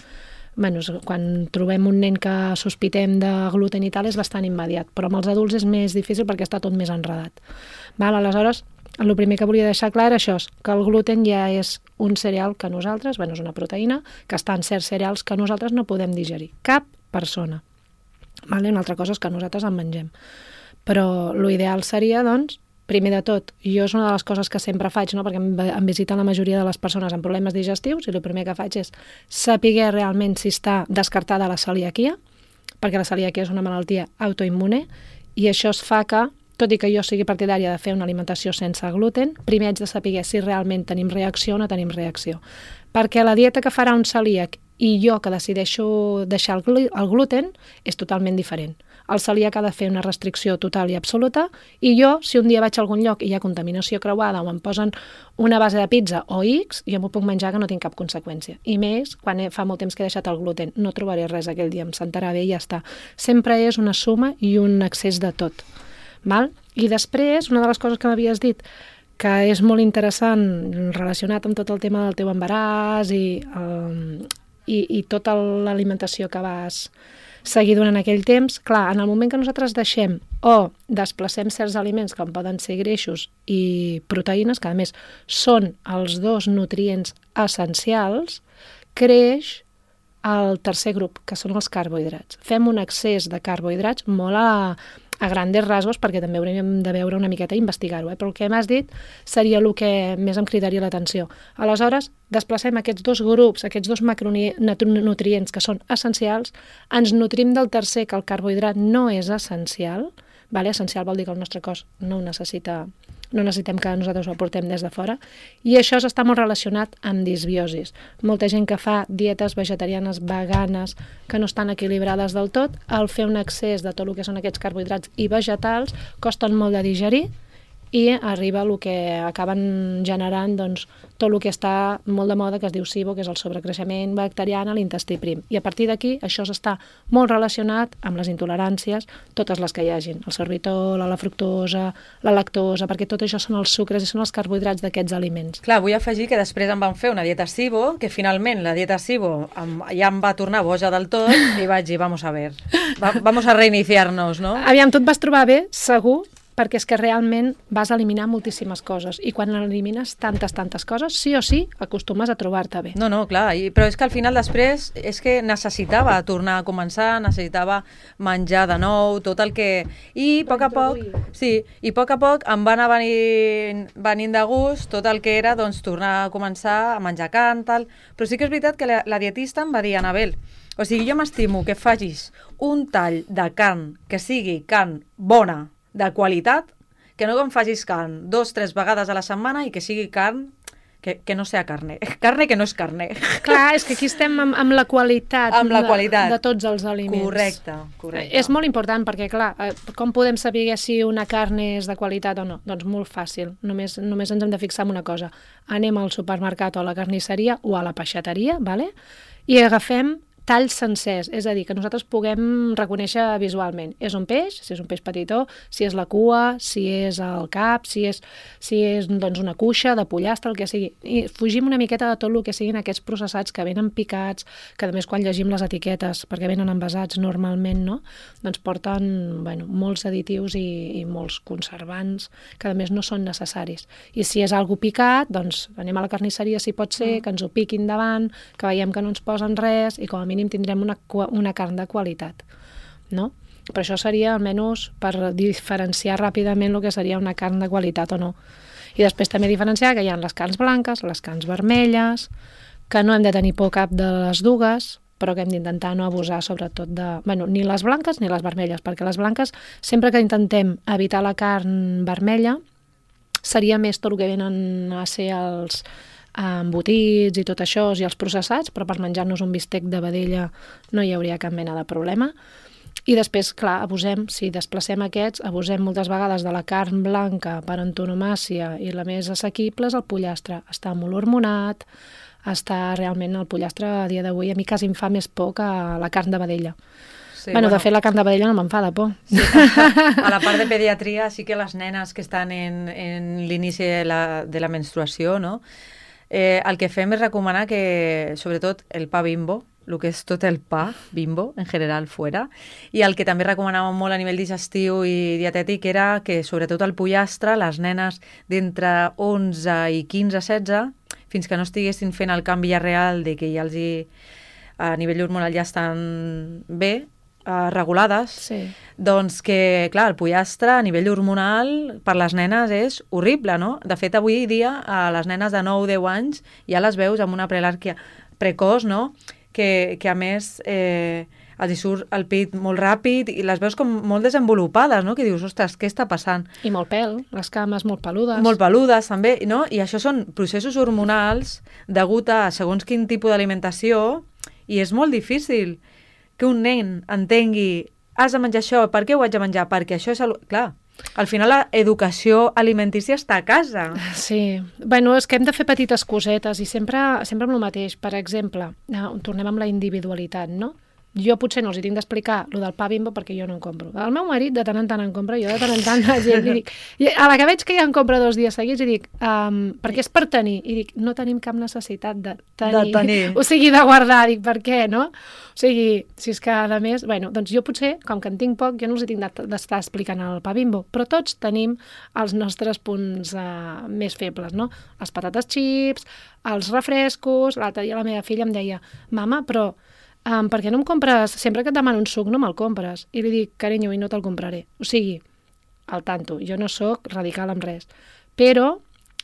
Bueno, quan trobem un nen que sospitem de gluten i tal és bastant immediat, però amb els adults és més difícil perquè està tot més enredat. Val? Aleshores, el primer que volia deixar clar era això, que el gluten ja és un cereal que nosaltres, bueno, és una proteïna, que està en certs cereals que nosaltres no podem digerir. Cap persona. Vale? Una altra cosa és que nosaltres en mengem. Però l'ideal seria, doncs, primer de tot, jo és una de les coses que sempre faig, no? Perquè em, em visiten la majoria de les persones amb problemes digestius i el primer que faig és saber realment si està descartada la celiaquia, perquè la celiaquia és una malaltia autoimmune i això es fa que, tot i que jo sigui partidària de fer una alimentació sense gluten, primer haig de saber si realment tenim reacció o no tenim reacció. Perquè la dieta que farà un celíac i jo que decideixo deixar el, gl el gluten és totalment diferent. El celíac ha de fer una restricció total i absoluta i jo, si un dia vaig a algun lloc i hi ha contaminació creuada o em posen una base de pizza o X, jo m'ho puc menjar que no tinc cap conseqüència. I més, quan fa molt temps que he deixat el gluten, no trobaré res aquell dia, em sentarà bé i ja està. Sempre és una suma i un excés de tot. Val? I després, una de les coses que m'havies dit, que és molt interessant relacionat amb tot el tema del teu embaràs i, um, i, i tota l'alimentació que vas seguir durant aquell temps, clar, en el moment que nosaltres deixem o desplacem certs aliments com poden ser greixos i proteïnes, que a més són els dos nutrients essencials, creix el tercer grup, que són els carbohidrats. Fem un excés de carbohidrats molt a, a grandes rasgos, perquè també hauríem de veure una miqueta i investigar-ho, eh? Però el que m'has dit seria el que més em cridaria l'atenció. Aleshores, desplacem aquests dos grups, aquests dos macronutrients que són essencials, ens nutrim del tercer, que el carbohidrat no és essencial, vale? Essencial vol dir que el nostre cos no ho necessita, no necessitem que nosaltres ho aportem des de fora, i això està molt relacionat amb disbiosis. Molta gent que fa dietes vegetarianes, veganes, que no estan equilibrades del tot, al fer un excés de tot el que són aquests carbohidrats i vegetals, costen molt de digerir, i arriba el que acaben generant doncs, tot el que està molt de moda, que es diu SIBO, que és el sobrecreixement bacterià a l'intestí prim. I a partir d'aquí això està molt relacionat amb les intoleràncies, totes les que hi hagin, el sorbitol, la fructosa, la lactosa, perquè tot això són els sucres i són els carbohidrats d'aquests aliments. Clar, vull afegir que després em van fer una dieta SIBO, que finalment la dieta SIBO em, ja em va tornar boja del tot, i vaig dir, vamos a ver, va, vamos a reiniciar-nos, no? Aviam, tu et vas trobar bé, segur, perquè és que realment vas eliminar moltíssimes coses, i quan elimines tantes, tantes coses, sí o sí, acostumes a trobar-te bé. No, no, clar, i, però és que al final després és que necessitava tornar a començar, necessitava menjar de nou, tot el que... I a poc a poc, sí, i a poc a poc em va anar venint, venint de gust tot el que era, doncs, tornar a començar a menjar carn, tal... Però sí que és veritat que la, la dietista em va dir, Anabel, o sigui, jo m'estimo que facis un tall de carn que sigui carn bona, de qualitat, que no em facis carn dos, tres vegades a la setmana i que sigui carn que, que no sea carne. Carne que no és carne. Clar, és que aquí estem amb, amb la qualitat, amb la qualitat. De, de tots els aliments. Correcte, correcte. És molt important perquè, clar, com podem saber si una carn és de qualitat o no? Doncs molt fàcil, només, només ens hem de fixar en una cosa. Anem al supermercat o a la carnisseria o a la peixateria, vale? I agafem talls sencers, és a dir, que nosaltres puguem reconèixer visualment. És un peix, si és un peix petitó, si és la cua, si és el cap, si és, si és doncs, una cuixa de pollastre, el que sigui. I fugim una miqueta de tot el que siguin aquests processats que venen picats, que a més quan llegim les etiquetes, perquè venen envasats normalment, no? Doncs porten bueno, molts additius i, i molts conservants que a més no són necessaris. I si és algo picat, doncs anem a la carnisseria si pot ser, que ens ho piquin davant, que veiem que no ens posen res i com a mínim tindrem una, una carn de qualitat, no? Però això seria almenys per diferenciar ràpidament el que seria una carn de qualitat o no. I després també diferenciar que hi ha les carns blanques, les carns vermelles, que no hem de tenir por cap de les dues, però que hem d'intentar no abusar sobretot de... Bueno, ni les blanques ni les vermelles, perquè les blanques, sempre que intentem evitar la carn vermella, seria més tot el que venen a ser els embotits i tot això, i els processats, però per menjar-nos un bistec de vedella no hi hauria cap mena de problema. I després, clar, abusem, si desplacem aquests, abusem moltes vegades de la carn blanca per antonomàsia, i la més assequible és el pollastre. Està molt hormonat, està realment el pollastre a dia d'avui, a mi quasi em fa més por que la carn de vedella. Sí, bueno, bueno, de fet, la carn de vedella no me'n fa de por. Sí, a la part de pediatria sí que les nenes que estan en, en l'inici de, la, de la menstruació, no? Eh, el que fem és recomanar que, sobretot, el pa Bimbo, el que és tot el pa Bimbo, en general, fora, i el que també recomanàvem molt a nivell digestiu i dietètic era que, sobretot, el pollastre, les nenes d'entre onze i quinze, setze, fins que no estiguessin fent el canvi ja real de que ja els hi, a nivell hormonal ja estan bé, Uh, regulades, sí. Doncs que, clar, el pollastre a nivell hormonal per les nenes és horrible, no? De fet, avui dia a les nenes de nou a deu anys ja les veus amb una prelàrquia precoç, no? Que, que a més eh, els hi surt el pit molt ràpid i les veus com molt desenvolupades, no? Que dius, ostres, què està passant? I molt pèl, les cames molt peludes. Molt peludes, també, no? I això són processos hormonals degut a segons quin tipus d'alimentació i és molt difícil que un nen entengui has de menjar això, per què ho haig de menjar? Perquè això és... El... Clar, al final la educació alimentícia està a casa. Sí, bueno, és que hem de fer petites cosetes i sempre, sempre amb el mateix. Per exemple, tornem amb la individualitat, no? Jo potser no els hi tinc d'explicar el del pa Bimbo perquè jo no en compro. El meu marit de tant en tant en compra, jo de tant en tant la gent li dic... I a la que veig que ja en compra dos dies seguits i dic, um, perquè és per tenir. I dic, no tenim cap necessitat de tenir. De tenir. O sigui, de guardar. Dic, per què, no? O sigui, si és que a més... Bueno, doncs jo potser, com que en tinc poc, jo no els hi tinc d'estar explicant el pa Bimbo, però tots tenim els nostres punts uh, més febles, no? Les patates xips, els refrescos... L'altre dia la meva filla em deia, mama, però... um, per què no em compres, sempre que et demano un suc no me'l compres? I li dic, carinyo, i no te'l compraré. O sigui, al tanto, jo no sóc radical amb res. Però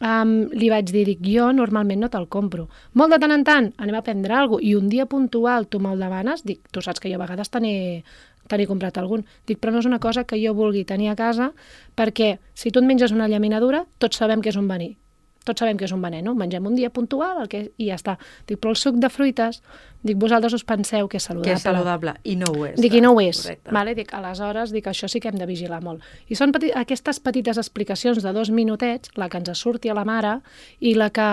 um, li vaig dir, dic, jo normalment no te'l compro. Molt de tant en tant anem a prendre alguna cosa i un dia puntual tu me'l demanes, dic, tu saps que jo a vegades te n'he te n'he comprat algun. Dic, però no és una cosa que jo vulgui tenir a casa perquè si tu et menges una llaminadura, tots sabem que és un verí. Tots sabem que és un veneno, mengem un dia puntual el que, i ja està. Dic, però el suc de fruites, dic, vosaltres us penseu que és saludable. Que és saludable, i no ho és. Dic, i no ho és. Correcte. Vale? Dic, aleshores, dic, això sí que hem de vigilar molt. I són peti aquestes petites explicacions de dos minutets, la que ens surti a la mare i la que,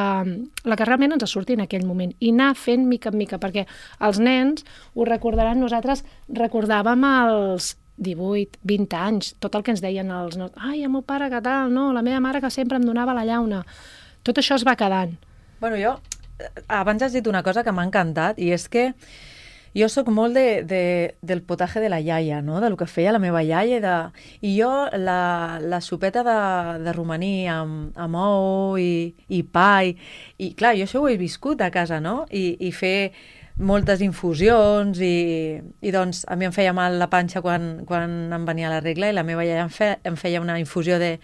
la que realment ens surti en aquell moment. I anar fent mica en mica, perquè els nens ho recordaran, nosaltres recordàvem els divuit, vint anys, tot el que ens deien els nostres, ai, el meu pare que tal, no, la meva mare que sempre em donava la llauna. Tot això es va quedant. Bueno, jo, abans has dit una cosa que m'ha encantat, i és que jo sóc molt de, de, del potatge de la iaia, no? De lo que feia la meva iaia. De... I jo, la, la sopeta de, de romaní amb, amb ou i, i pa, i, i clar, jo això ho he viscut a casa, no? I, i fer moltes infusions i, i doncs a mi em feia mal la panxa quan, quan em venia la regla i la meva iaia em, fe, em feia una infusió de,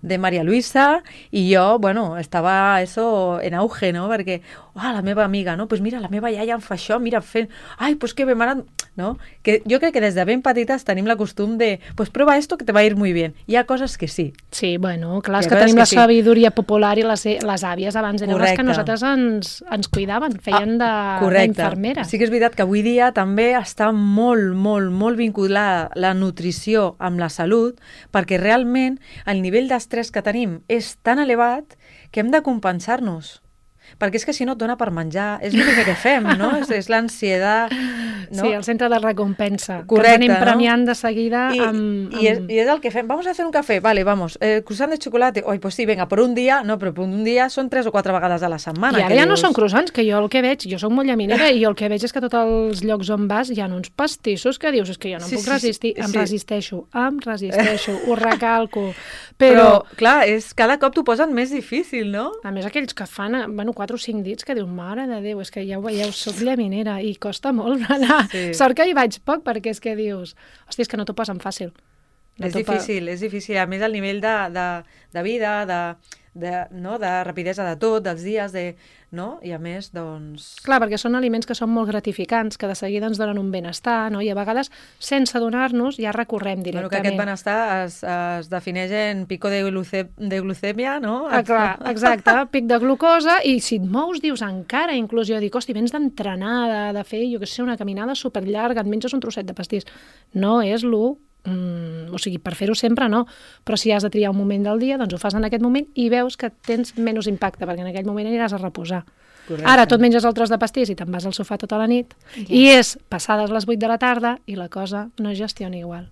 de Maria Luisa i jo, bueno, estava eso en auge, no? Perquè, oh, la meva amiga, no? Pues mira, la meva iaia em fa això, mira, fent... Ai, pues que bé, m'ha anat... No? Que jo crec que des de ben petites tenim la costum de, pues prueba esto que te va a ir muy bien. Hi ha coses que sí. Sí, bueno, clar, és que que tenim que la sí. sabidoria popular i les, les àvies abans eren les que Correcte. nosaltres ens, ens cuidaven, feien Ah, de- correcte. d'infermeres. Sí que és veritat que avui dia també està molt, molt, molt vinculada la nutrició amb la salut, perquè realment el nivell d'estrès que tenim és tan elevat que hem de compensar-nos. Perquè és que si no et dona per menjar, és l'únic que fem, no? És, és l'ansietat, no? Sí, el centre de recompensa. Correcte, que ens anem no? premiant de seguida I, amb... amb... y, es, y es el que fem. Vamos a hacer un café, vale, vamos. Eh, croissant de chocolate. Oi, pues sí, venga, por un dia, no, però per un dia són tres o quatre vegades a la setmana. I ara que ja no dius... són croissants, que jo el que veig, jo soc molt llaminera i el que veig és que tots els llocs on vas hi ha uns pastissos que dius, és que jo no em Sí, puc sí, sí, resistir, em sí. resisteixo, em resisteixo, ho recalco. Però, Però, clar, és, cada cop t'ho posen més difícil, no? a més, aquells que fan, eh, bueno, quatre o cinc dits, que dius, mare de Déu, és que ja ho veieu, soc llaminera i costa molt anar. Sí. Sort que hi vaig poc, perquè és que dius, hòstia, és que no t'ho posen fàcil. No És t'ho pa- difícil, és difícil. A més, el nivell de, de, de vida, de, de, no? de rapidesa de tot, dels dies, de, no? I a més, doncs... Clar, perquè són aliments que són molt gratificants, que de seguida ens donen un benestar, no? I a vegades, sense adonar-nos, ja recorrem Bueno, que directament. aquest benestar es, es defineix en pico de, gluce, de glucèmia, no? Ah, clar, exacte, pic de glucosa, i si et mous, dius, encara, inclús jo dic, hosti, vens d'entrenar, de, de fer, jo què sé, una caminada superllarga, et menges un trosset de pastís. No és l'u, mm, o sigui, per fer-ho sempre no, però si has de triar un moment del dia, doncs ho fas en aquest moment i veus que tens menys impacte, perquè en aquell moment aniràs a reposar. Correcte. Ara tot menges el tros de pastís i te'n vas al sofà tota la nit, Ja. i és passades les vuit de la tarda i la cosa no es gestiona igual.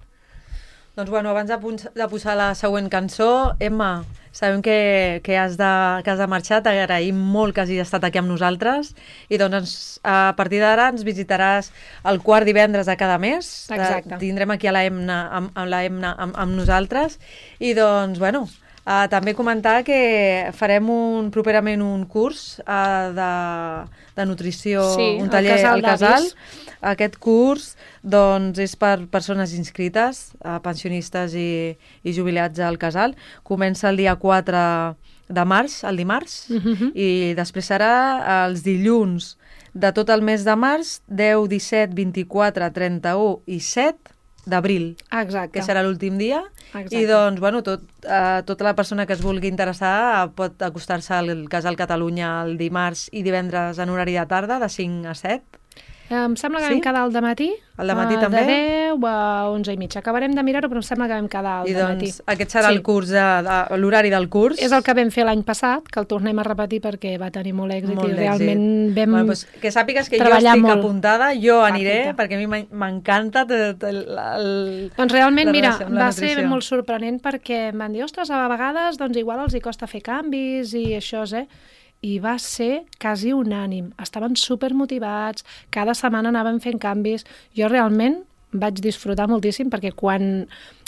Doncs bueno, abans de, punx- de posar la següent cançó, Emma, sabem que, que, has de, que has de marxar, t'agraïm molt que hagis estat aquí amb nosaltres i doncs ens, a partir d'ara ens visitaràs el quart divendres de cada mes. Exacte. Eh, tindrem aquí a la Emna, amb, amb, la Emna amb, amb nosaltres i doncs, bueno, Uh, també comentar que farem un, properament un curs uh, de, de nutrició, Sí, un al taller Casal al Casal. d'Avis. Aquest curs doncs, és per persones inscrites, uh, pensionistes i, i jubilats al Casal. Comença el dia quatre de març, el dimarts, Mhm. i després serà els dilluns de tot el mes de març, deu, disset, vint-i-quatre, trenta-u i set d'abril, Exacte. que serà l'últim dia. Exacte. I doncs, bueno, tot, eh, tota la persona que es vulgui interessar eh, pot acostar-se al Casal Catalunya el dimarts i divendres en horari de tarda, de cinc a set. Em sembla que Sí? vam quedar al dematí. Al dematí eh, també? De deu a onze i mitja. Acabarem de mirar-ho, però em sembla que vam quedar al I dematí. doncs aquest serà Sí. el curs, de, de, l'horari del curs. És el que vam fer l'any passat, que el tornem a repetir perquè va tenir molt èxit Molt i d'èxit. realment vam Bueno, doncs, que sàpigues que jo treballar estic molt. apuntada, jo aniré, Perfecte. perquè a mi m'en- m'encanta tot el, el... Doncs realment, la mira, relació amb la va ser nutrició. molt sorprenent perquè em van dir, ostres, a vegades doncs igual els hi costa fer canvis i això, eh? I va ser quasi unànim. Estaven supermotivats, cada setmana anaven fent canvis. Jo realment vaig disfrutar moltíssim perquè quan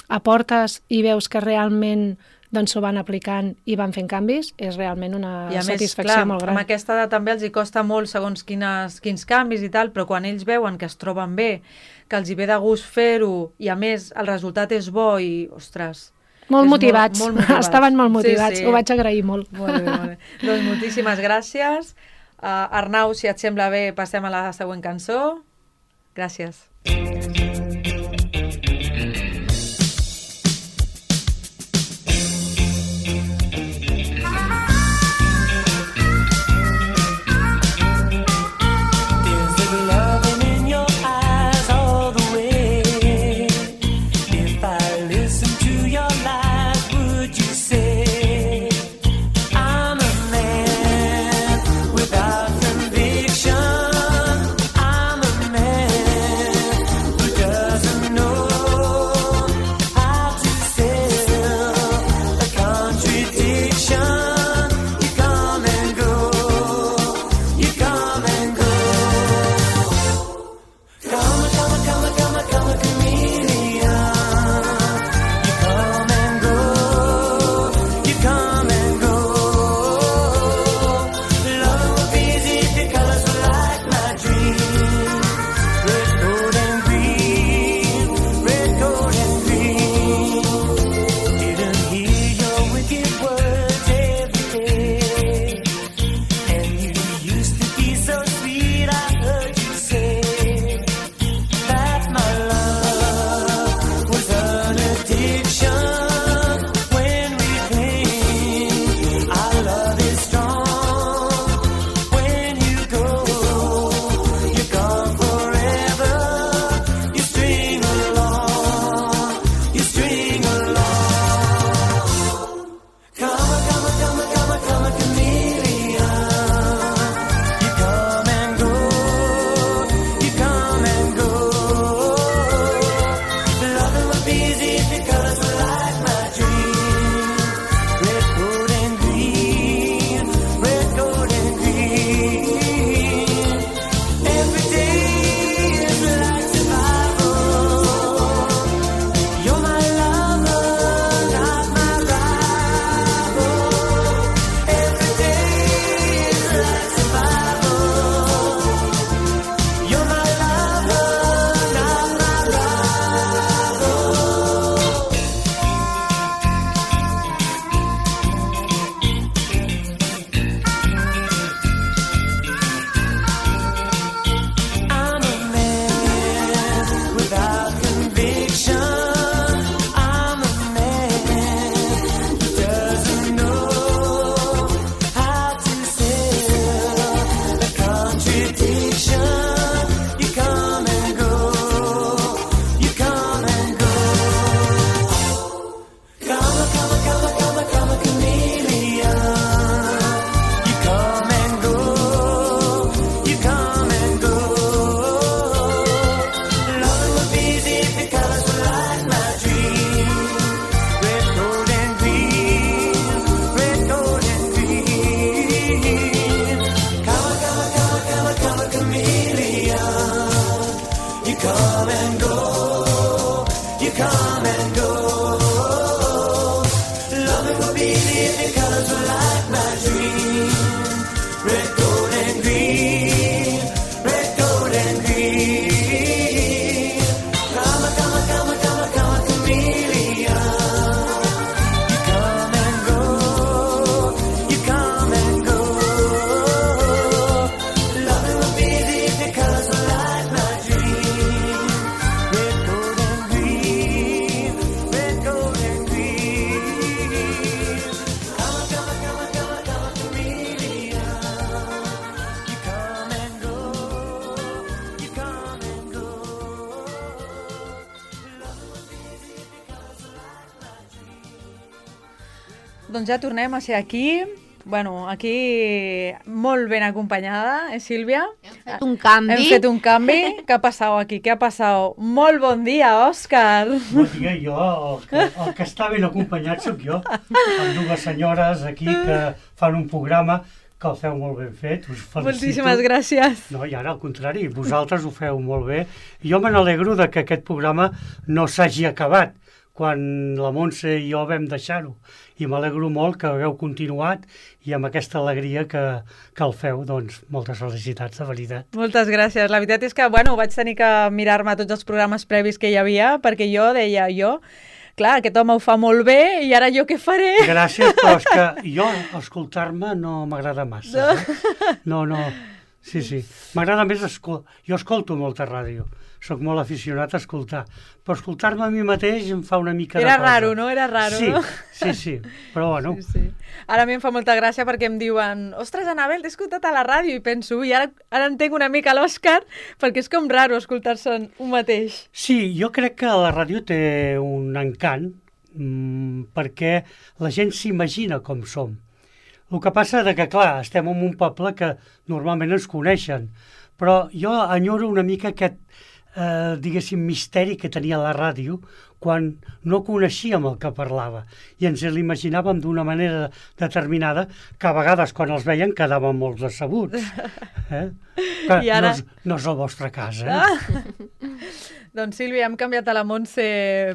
aportes i veus que realment doncs s'ho van aplicant i van fent canvis, és realment una I a més, satisfacció clar, molt gran. amb aquesta edat també els hi costa molt segons quines, quins canvis i tal, però quan ells veuen que es troben bé, que els hi ve de gust fer-ho i a més el resultat és bo i, ostres... Molt és motivats. Molt, molt motivats, estaven molt motivats, sí, sí. ho vaig agrair molt. Molt bé, molt bé. Doncs moltíssimes gràcies. Uh, Arnau, si et sembla bé, passem a la següent cançó. Gràcies. Doncs ja tornem a ser aquí. Bueno, aquí molt ben acompanyada, eh, Sílvia? Hem fet un canvi. Hem fet un canvi. Què ha passat aquí? Què ha passat? Molt bon dia, Òscar. Bon dia, jo, el que, el que està ben acompanyat sóc jo, amb dues senyores aquí que fan un programa que el feu molt ben fet, us felicito. Moltíssimes gràcies. No, i ara al contrari, vosaltres ho feu molt bé. Jo me n'alegro de que aquest programa no s'hagi acabat, quan la Montse i jo vam deixar-ho. I m'alegro molt que hagueu continuat i amb aquesta alegria que, que el feu, doncs moltes felicitats, de veritat. Moltes gràcies. La veritat és que, bueno, vaig tenir que mirar-me tots els programes previs que hi havia, perquè jo deia, jo, clar, aquest home ho fa molt bé i ara jo què faré? Gràcies, però és que jo escoltar-me no m'agrada massa. Eh? No, no, sí, sí. M'agrada més, escol... jo escolto molta ràdio. Soc molt aficionat a escoltar, però escoltar-me a mi mateix em fa una mica Era de cosa. raro, no? Era raro, sí, no? Sí, sí, però bueno. Sí, sí. Ara a mi em fa molta gràcia perquè em diuen ostres, Anabel, t'he escoltat a la ràdio i penso, i ara, ara entenc una mica l'Òscar perquè és com raro escoltar-se un mateix. Sí, jo crec que la ràdio té un encant mmm, perquè la gent s'imagina com som. El que passa és que, clar, estem en un poble que normalment ens coneixen, però jo enyoro una mica aquest Eh, diguéssim, misteri que tenia la ràdio quan no coneixíem el que parlava i ens l'imaginàvem d'una manera determinada que a vegades quan els veien quedàvem molt decebuts. Eh? Que I ara... no, és, no és el vostre cas, eh? Ah. Doncs Sílvia, hem canviat a la Montse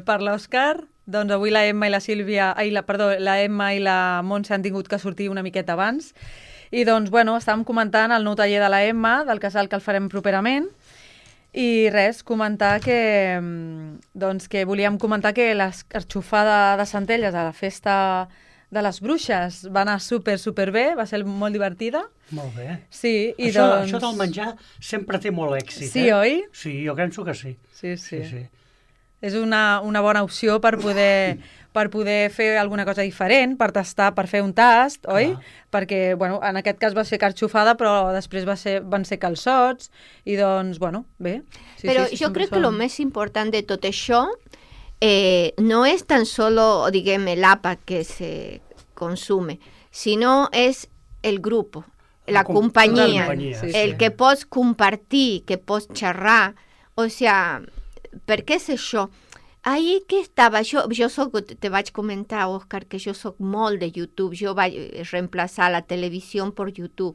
per l'Òscar. Doncs avui la Emma i la Sílvia, ai, la, perdó, la Emma i la Montse han tingut que sortir una miqueta abans. I doncs, bueno, estàvem comentant el nou taller de la Emma, del casal que el farem properament. I res, comentar que, doncs, que volíem comentar que l'escarxofada de Centelles a la festa de les bruixes va anar super, super bé, va ser molt divertida. Molt bé. Sí, i això, doncs... això del menjar sempre té molt èxit, sí, eh? oi? Sí, jo penso que sí. Sí, sí. sí, sí. És una, una bona opció per poder, per poder fer alguna cosa diferent, per tastar, per fer un tast, oi? Clar. Perquè, bueno, en aquest cas va ser carxofada, però després va ser, van ser calçots, i doncs, bueno, bé. Sí, Pero sí, sí, yo creo són... que lo més important de tot això eh, no es tan solo, diguem, l'àpat que se consume, sinó és el grup, la, la companyia, companyia sí, el sí. que pots compartir, que pots xerrar, o sea, per què és això? Ahí que estava, jo, jo soc, te vaig comentar, Òscar, que jo soc molt de YouTube, jo vaig reemplaçar la televisió per YouTube.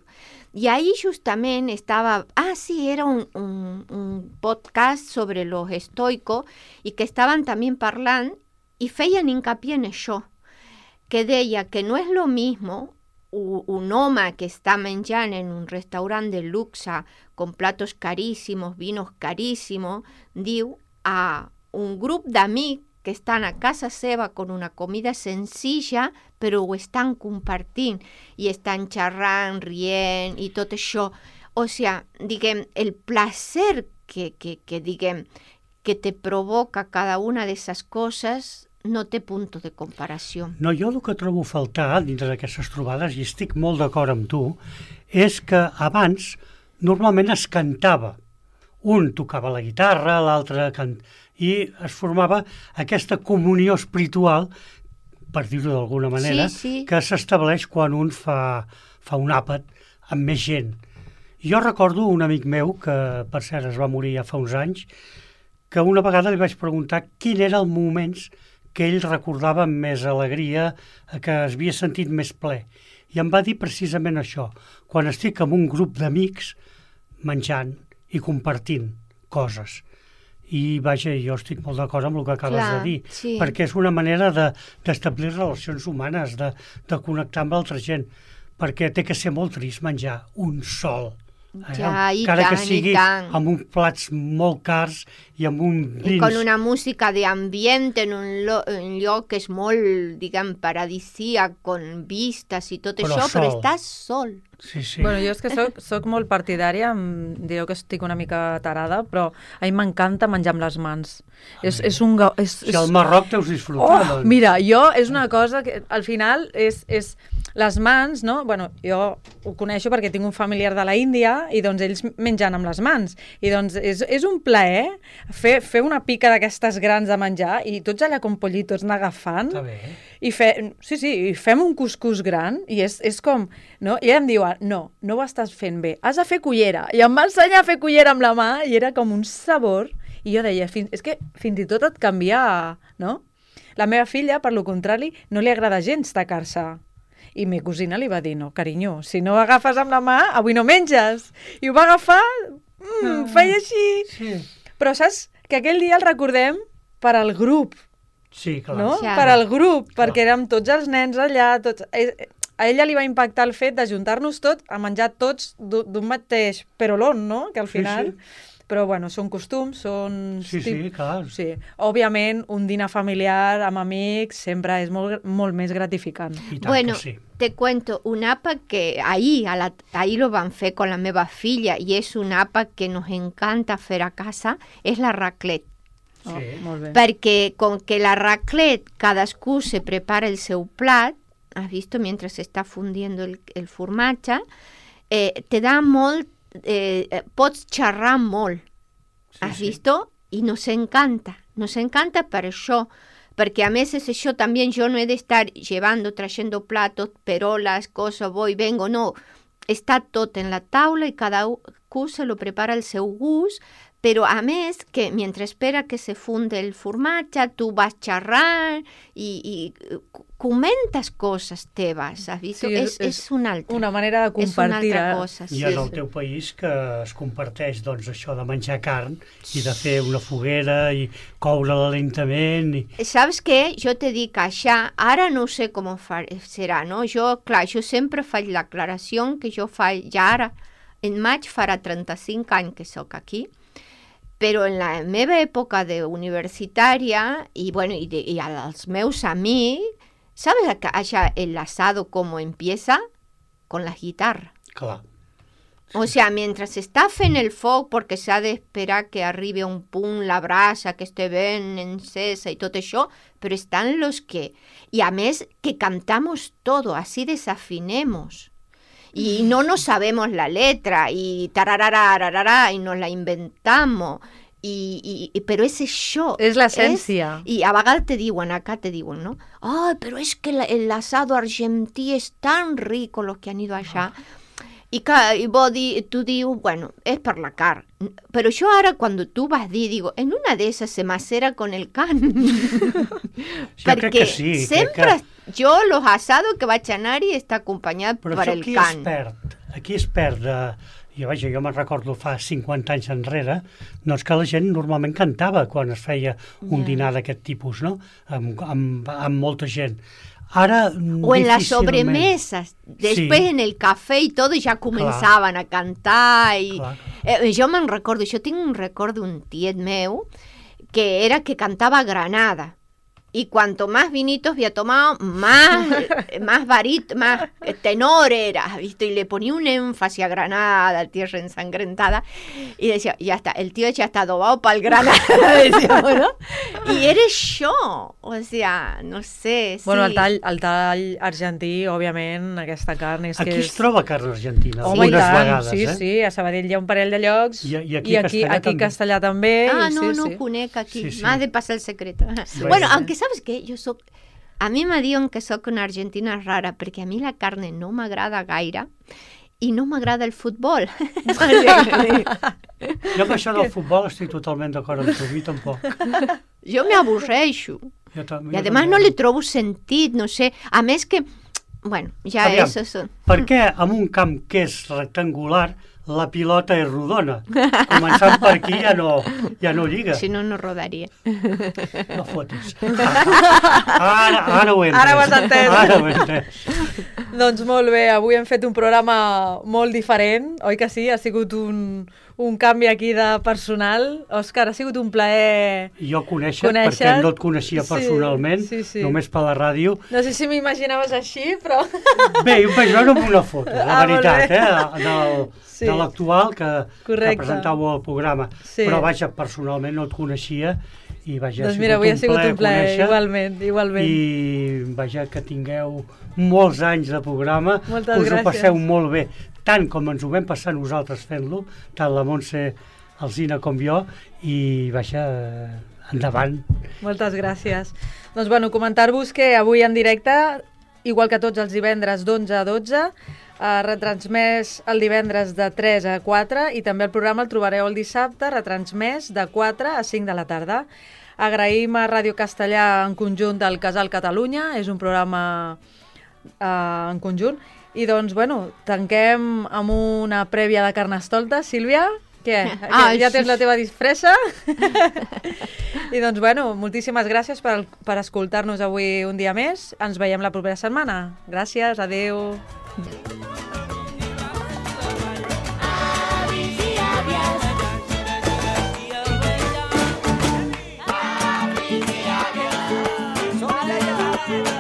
I ahí justament estava, ah, sí, era un, un, un podcast sobre los estoicos i que estaven també parlant i feien hincapié en això, que deia que no és lo mismo un home que està menjant en un restaurant de luxe con platos carísimos, vinos carísimos, diu a un grup d'amics que estan a casa seva con una comida senzilla, però ho estan compartint i estan xerrant, rient i tot això. O sigui, diguem, el placer que, que, que, diguem, que te provoca cada una d'aquestes coses no té punt de comparació. No, jo el que trobo a faltar dintre d'aquestes trobades, i estic molt d'acord amb tu, és que abans normalment es cantava. Un tocava la guitarra, l'altre cant... i es formava aquesta comunió espiritual, per dir-ho d'alguna manera, sí, sí. que s'estableix quan un fa, fa un àpat amb més gent. Jo recordo un amic meu, que per cert es va morir ja fa uns anys, que una vegada li vaig preguntar quin era el moment que ell recordava amb més alegria, que es havia sentit més ple. I em va dir precisament això, quan estic amb un grup d'amics menjant i compartint coses. I vaja, jo estic molt d'acord amb el que acabes Clar, de dir, sí. perquè és una manera de, d'establir relacions humanes, de, de connectar amb l'altra gent, perquè té que ser molt trist menjar un sol. Ja, i encara tant, que sigui i tant. amb uns plats molt cars i amb un I vins. con una música de ambiente en un, lo, un lloc que és molt, diguem, paradisíac, con vistes i tot Però això, però sol. estàs sol. Sí, sí. Bueno, jo és que soc, soc molt partidària, em direu que estic una mica tarada, però a mi m'encanta menjar amb les mans. És, és un... ga- És, Si és... al Marroc deus disfrutar, Oh, doncs. mira, jo és una cosa que al final és, és les mans, no? Bueno, jo ho coneixo perquè tinc un familiar de la Índia i doncs ells mengen amb les mans. I doncs és, és un plaer fer, fer una pica d'aquestes grans de menjar i tots allà com pollitos anar agafant. Està bé. I fe, sí, sí, i fem un cuscús gran i és, és com... No? I ella em diu, no, no ho estàs fent bé, has de fer cullera. I em va ensenyar a fer cullera amb la mà i era com un sabor. I jo deia, fins, és que fins i tot et canvia, no? La meva filla, per lo contrari, no li agrada gens tacar-se. I mi cosina li va dir, no, carinyo, si no agafes amb la mà, avui no menges. I ho va agafar, mm, feia així. Sí. Però saps que aquell dia el recordem per al grup. Sí, clar. no? Ja. Per al grup, Clar. perquè érem tots els nens allà, tots... eh, A ella li va impactar el fet d'ajuntar-nos tots a menjar tots d'u- d'un mateix perolón, no? Que al Sí, final... sí. Però, bueno, són costums, són... Sí, sí, clar. Sí. Òbviament, un dinar familiar amb amics sempre és molt, molt més gratificant. I tant Bueno, que sí. te cuento, un àpat que ahí, a la, ahí lo van fer con la meva filla i és un àpat que nos encanta fer a casa, és la raclette. Oh, Sí. molt bé. Perquè com que la raclette cadascú se prepara el seu plat, has visto, mientras se está fundiendo el, el formatge, eh, te da molt, eh, eh, pots xerrar molt, Sí, has sí. visto? I nos encanta, nos encanta per això, perquè a més és això també, jo no he d'estar llevando, trayendo platos, perolas, cosas, voy, vengo, no, està tot en la taula i cada cu se lo prepara al seu gust, però a més que mentre espera que se funde el formatge, tu vas xerrant i, i comentes coses teves, has vist? Sí, és, és- és una altra. Una manera de és una compartir. altra eh? cosa, I sí. en el teu país que es comparteix doncs, això de menjar carn i de fer una foguera i coure-la lentament. I... Saps què? Jo te dic això, ara no sé com fa, serà, no? Jo, clar, jo sempre faig l'aclaració que jo faig, ja ara, en maig farà trenta-cinc anys que sóc aquí, però en la meva època de universitària i, bueno, i, de, i als meus amics, ¿sabes acá, allá el asado cómo empieza? Con la guitarra. Clar. O sea, mientras se está fent el foc, porque s'ha d'esperar que arribi a un punt la brasa, que esté ben encesa i tot això, però estan los que... I a més, que cantamos todo, así desafinemos. Y no nos sabemos la letra, y tarararararara, y nos la inventamos. I, i, i, però és això. És l'essència. És, I a vegades te diuen, acá te diuen, ¿no? Ay, pero es que la, el asado argentí es tan rico, los que han ido allá. I, que, i vos di, tu dius, bueno, és per la carn. Però jo ara, quan tu vas dir, digo, en una d'esas se macera con el can. Jo crec que sí. sempre, Crec que... jo los asados que vaig anar-hi està acompanyat Però per això el aquí can. es perd. Aquí es perd de... Jo, vaja, jo me'n recordo fa cinquanta anys enrere, doncs que la gent normalment cantava quan es feia un Ja. dinar d'aquest tipus, no? Amb, amb, amb molta gent. Ara, O en las difícilment. sobremesas, después Sí. en el café y todo, ya comenzaban a cantar. Y, Clar. eh, yo me recuerdo, yo tengo un recuerdo de un tiet meu que era que cantaba Granada. Y cuanto más vinitos había tomado, más, más varito, más tenor era, ¿visto? Y le ponía un énfasis a Granada, tierra ensangrentada, y decía, ya está, el tío ya está adobado para el Granada, decíamos, ¿no? Y eres yo, o sea, no sé, Bueno, sí. el tall, el tall argentí, òbviament, aquesta carn és Aquí que es és... troba carn argentina, Home, i algunes tant, vegades, sí, eh? sí, a Sabadell hi ha un parell de llocs I- i aquí i a aquí, Castellà aquí també. Castellà també. Ah, i no, sí, no sí. conec aquí. Sí, sí. Más de pasar el secreto. Sí. Bueno, Sí. aunque sabes que yo soy... A mi me diuen que sóc una argentina rara, perquè a mi la carne no m'agrada gaire i no m'agrada el futbol. Jo amb això del futbol estic totalment d'acord amb tu, a mi tampoc. Jo me avorreixo. Jo tam- I jo además també. no le trobo sentit, no sé. A més que... Bueno, ja Aviam, eso son... Per què en un camp que és rectangular la pilota és rodona? Començant per aquí ja no, ja no lliga. Si no, no rodaria. No fotis. Ara, ara ho he entès. Ara ho has entès. Ara ho he entès. Doncs molt bé, avui hem fet un programa molt diferent, oi que sí? Ha sigut un, un canvi aquí de personal. Òscar, ha sigut un plaer... Jo conèixer, Conèixer. perquè no et coneixia Sí, personalment, sí, sí. només per la ràdio. No sé si m'imaginaves així, però... Bé, jo em vaig veure amb una foto, la Ah, molt veritat, bé. eh, del, Sí. de l'actual que, que Correcte. presentàveu al programa. Sí. Però, vaja, personalment no et coneixia i, vaja, Doncs mira, avui ha sigut un plaer, conèixer. igualment, igualment. I, vaja, que tingueu molts anys de programa, Moltes us ho gràcies. passeu molt bé, tant com ens ho vam passar nosaltres fent-lo, tant la Montse, el Zina com jo, i, vaja, endavant. Moltes gràcies. Doncs, bueno, comentar-vos que avui en directe, igual que tots els divendres d'onze a dotze, eh, retransmès el divendres de tres a quatre i també el programa el trobareu el dissabte, retransmès de quatre a cinc de la tarda. Agraïm a Ràdio Castellà en conjunt del Casal Catalunya, és un programa eh, en conjunt. I doncs, bueno, tanquem amb una prèvia de Carnestoltes. Sílvia? Què? Ah, ja sí. tens la teva disfressa? I doncs, bueno, moltíssimes gràcies per, per escoltar-nos avui un dia més. Ens veiem la propera setmana. Gràcies, adeu. Avis i àvies. Avis i àvies. Són allà i allà.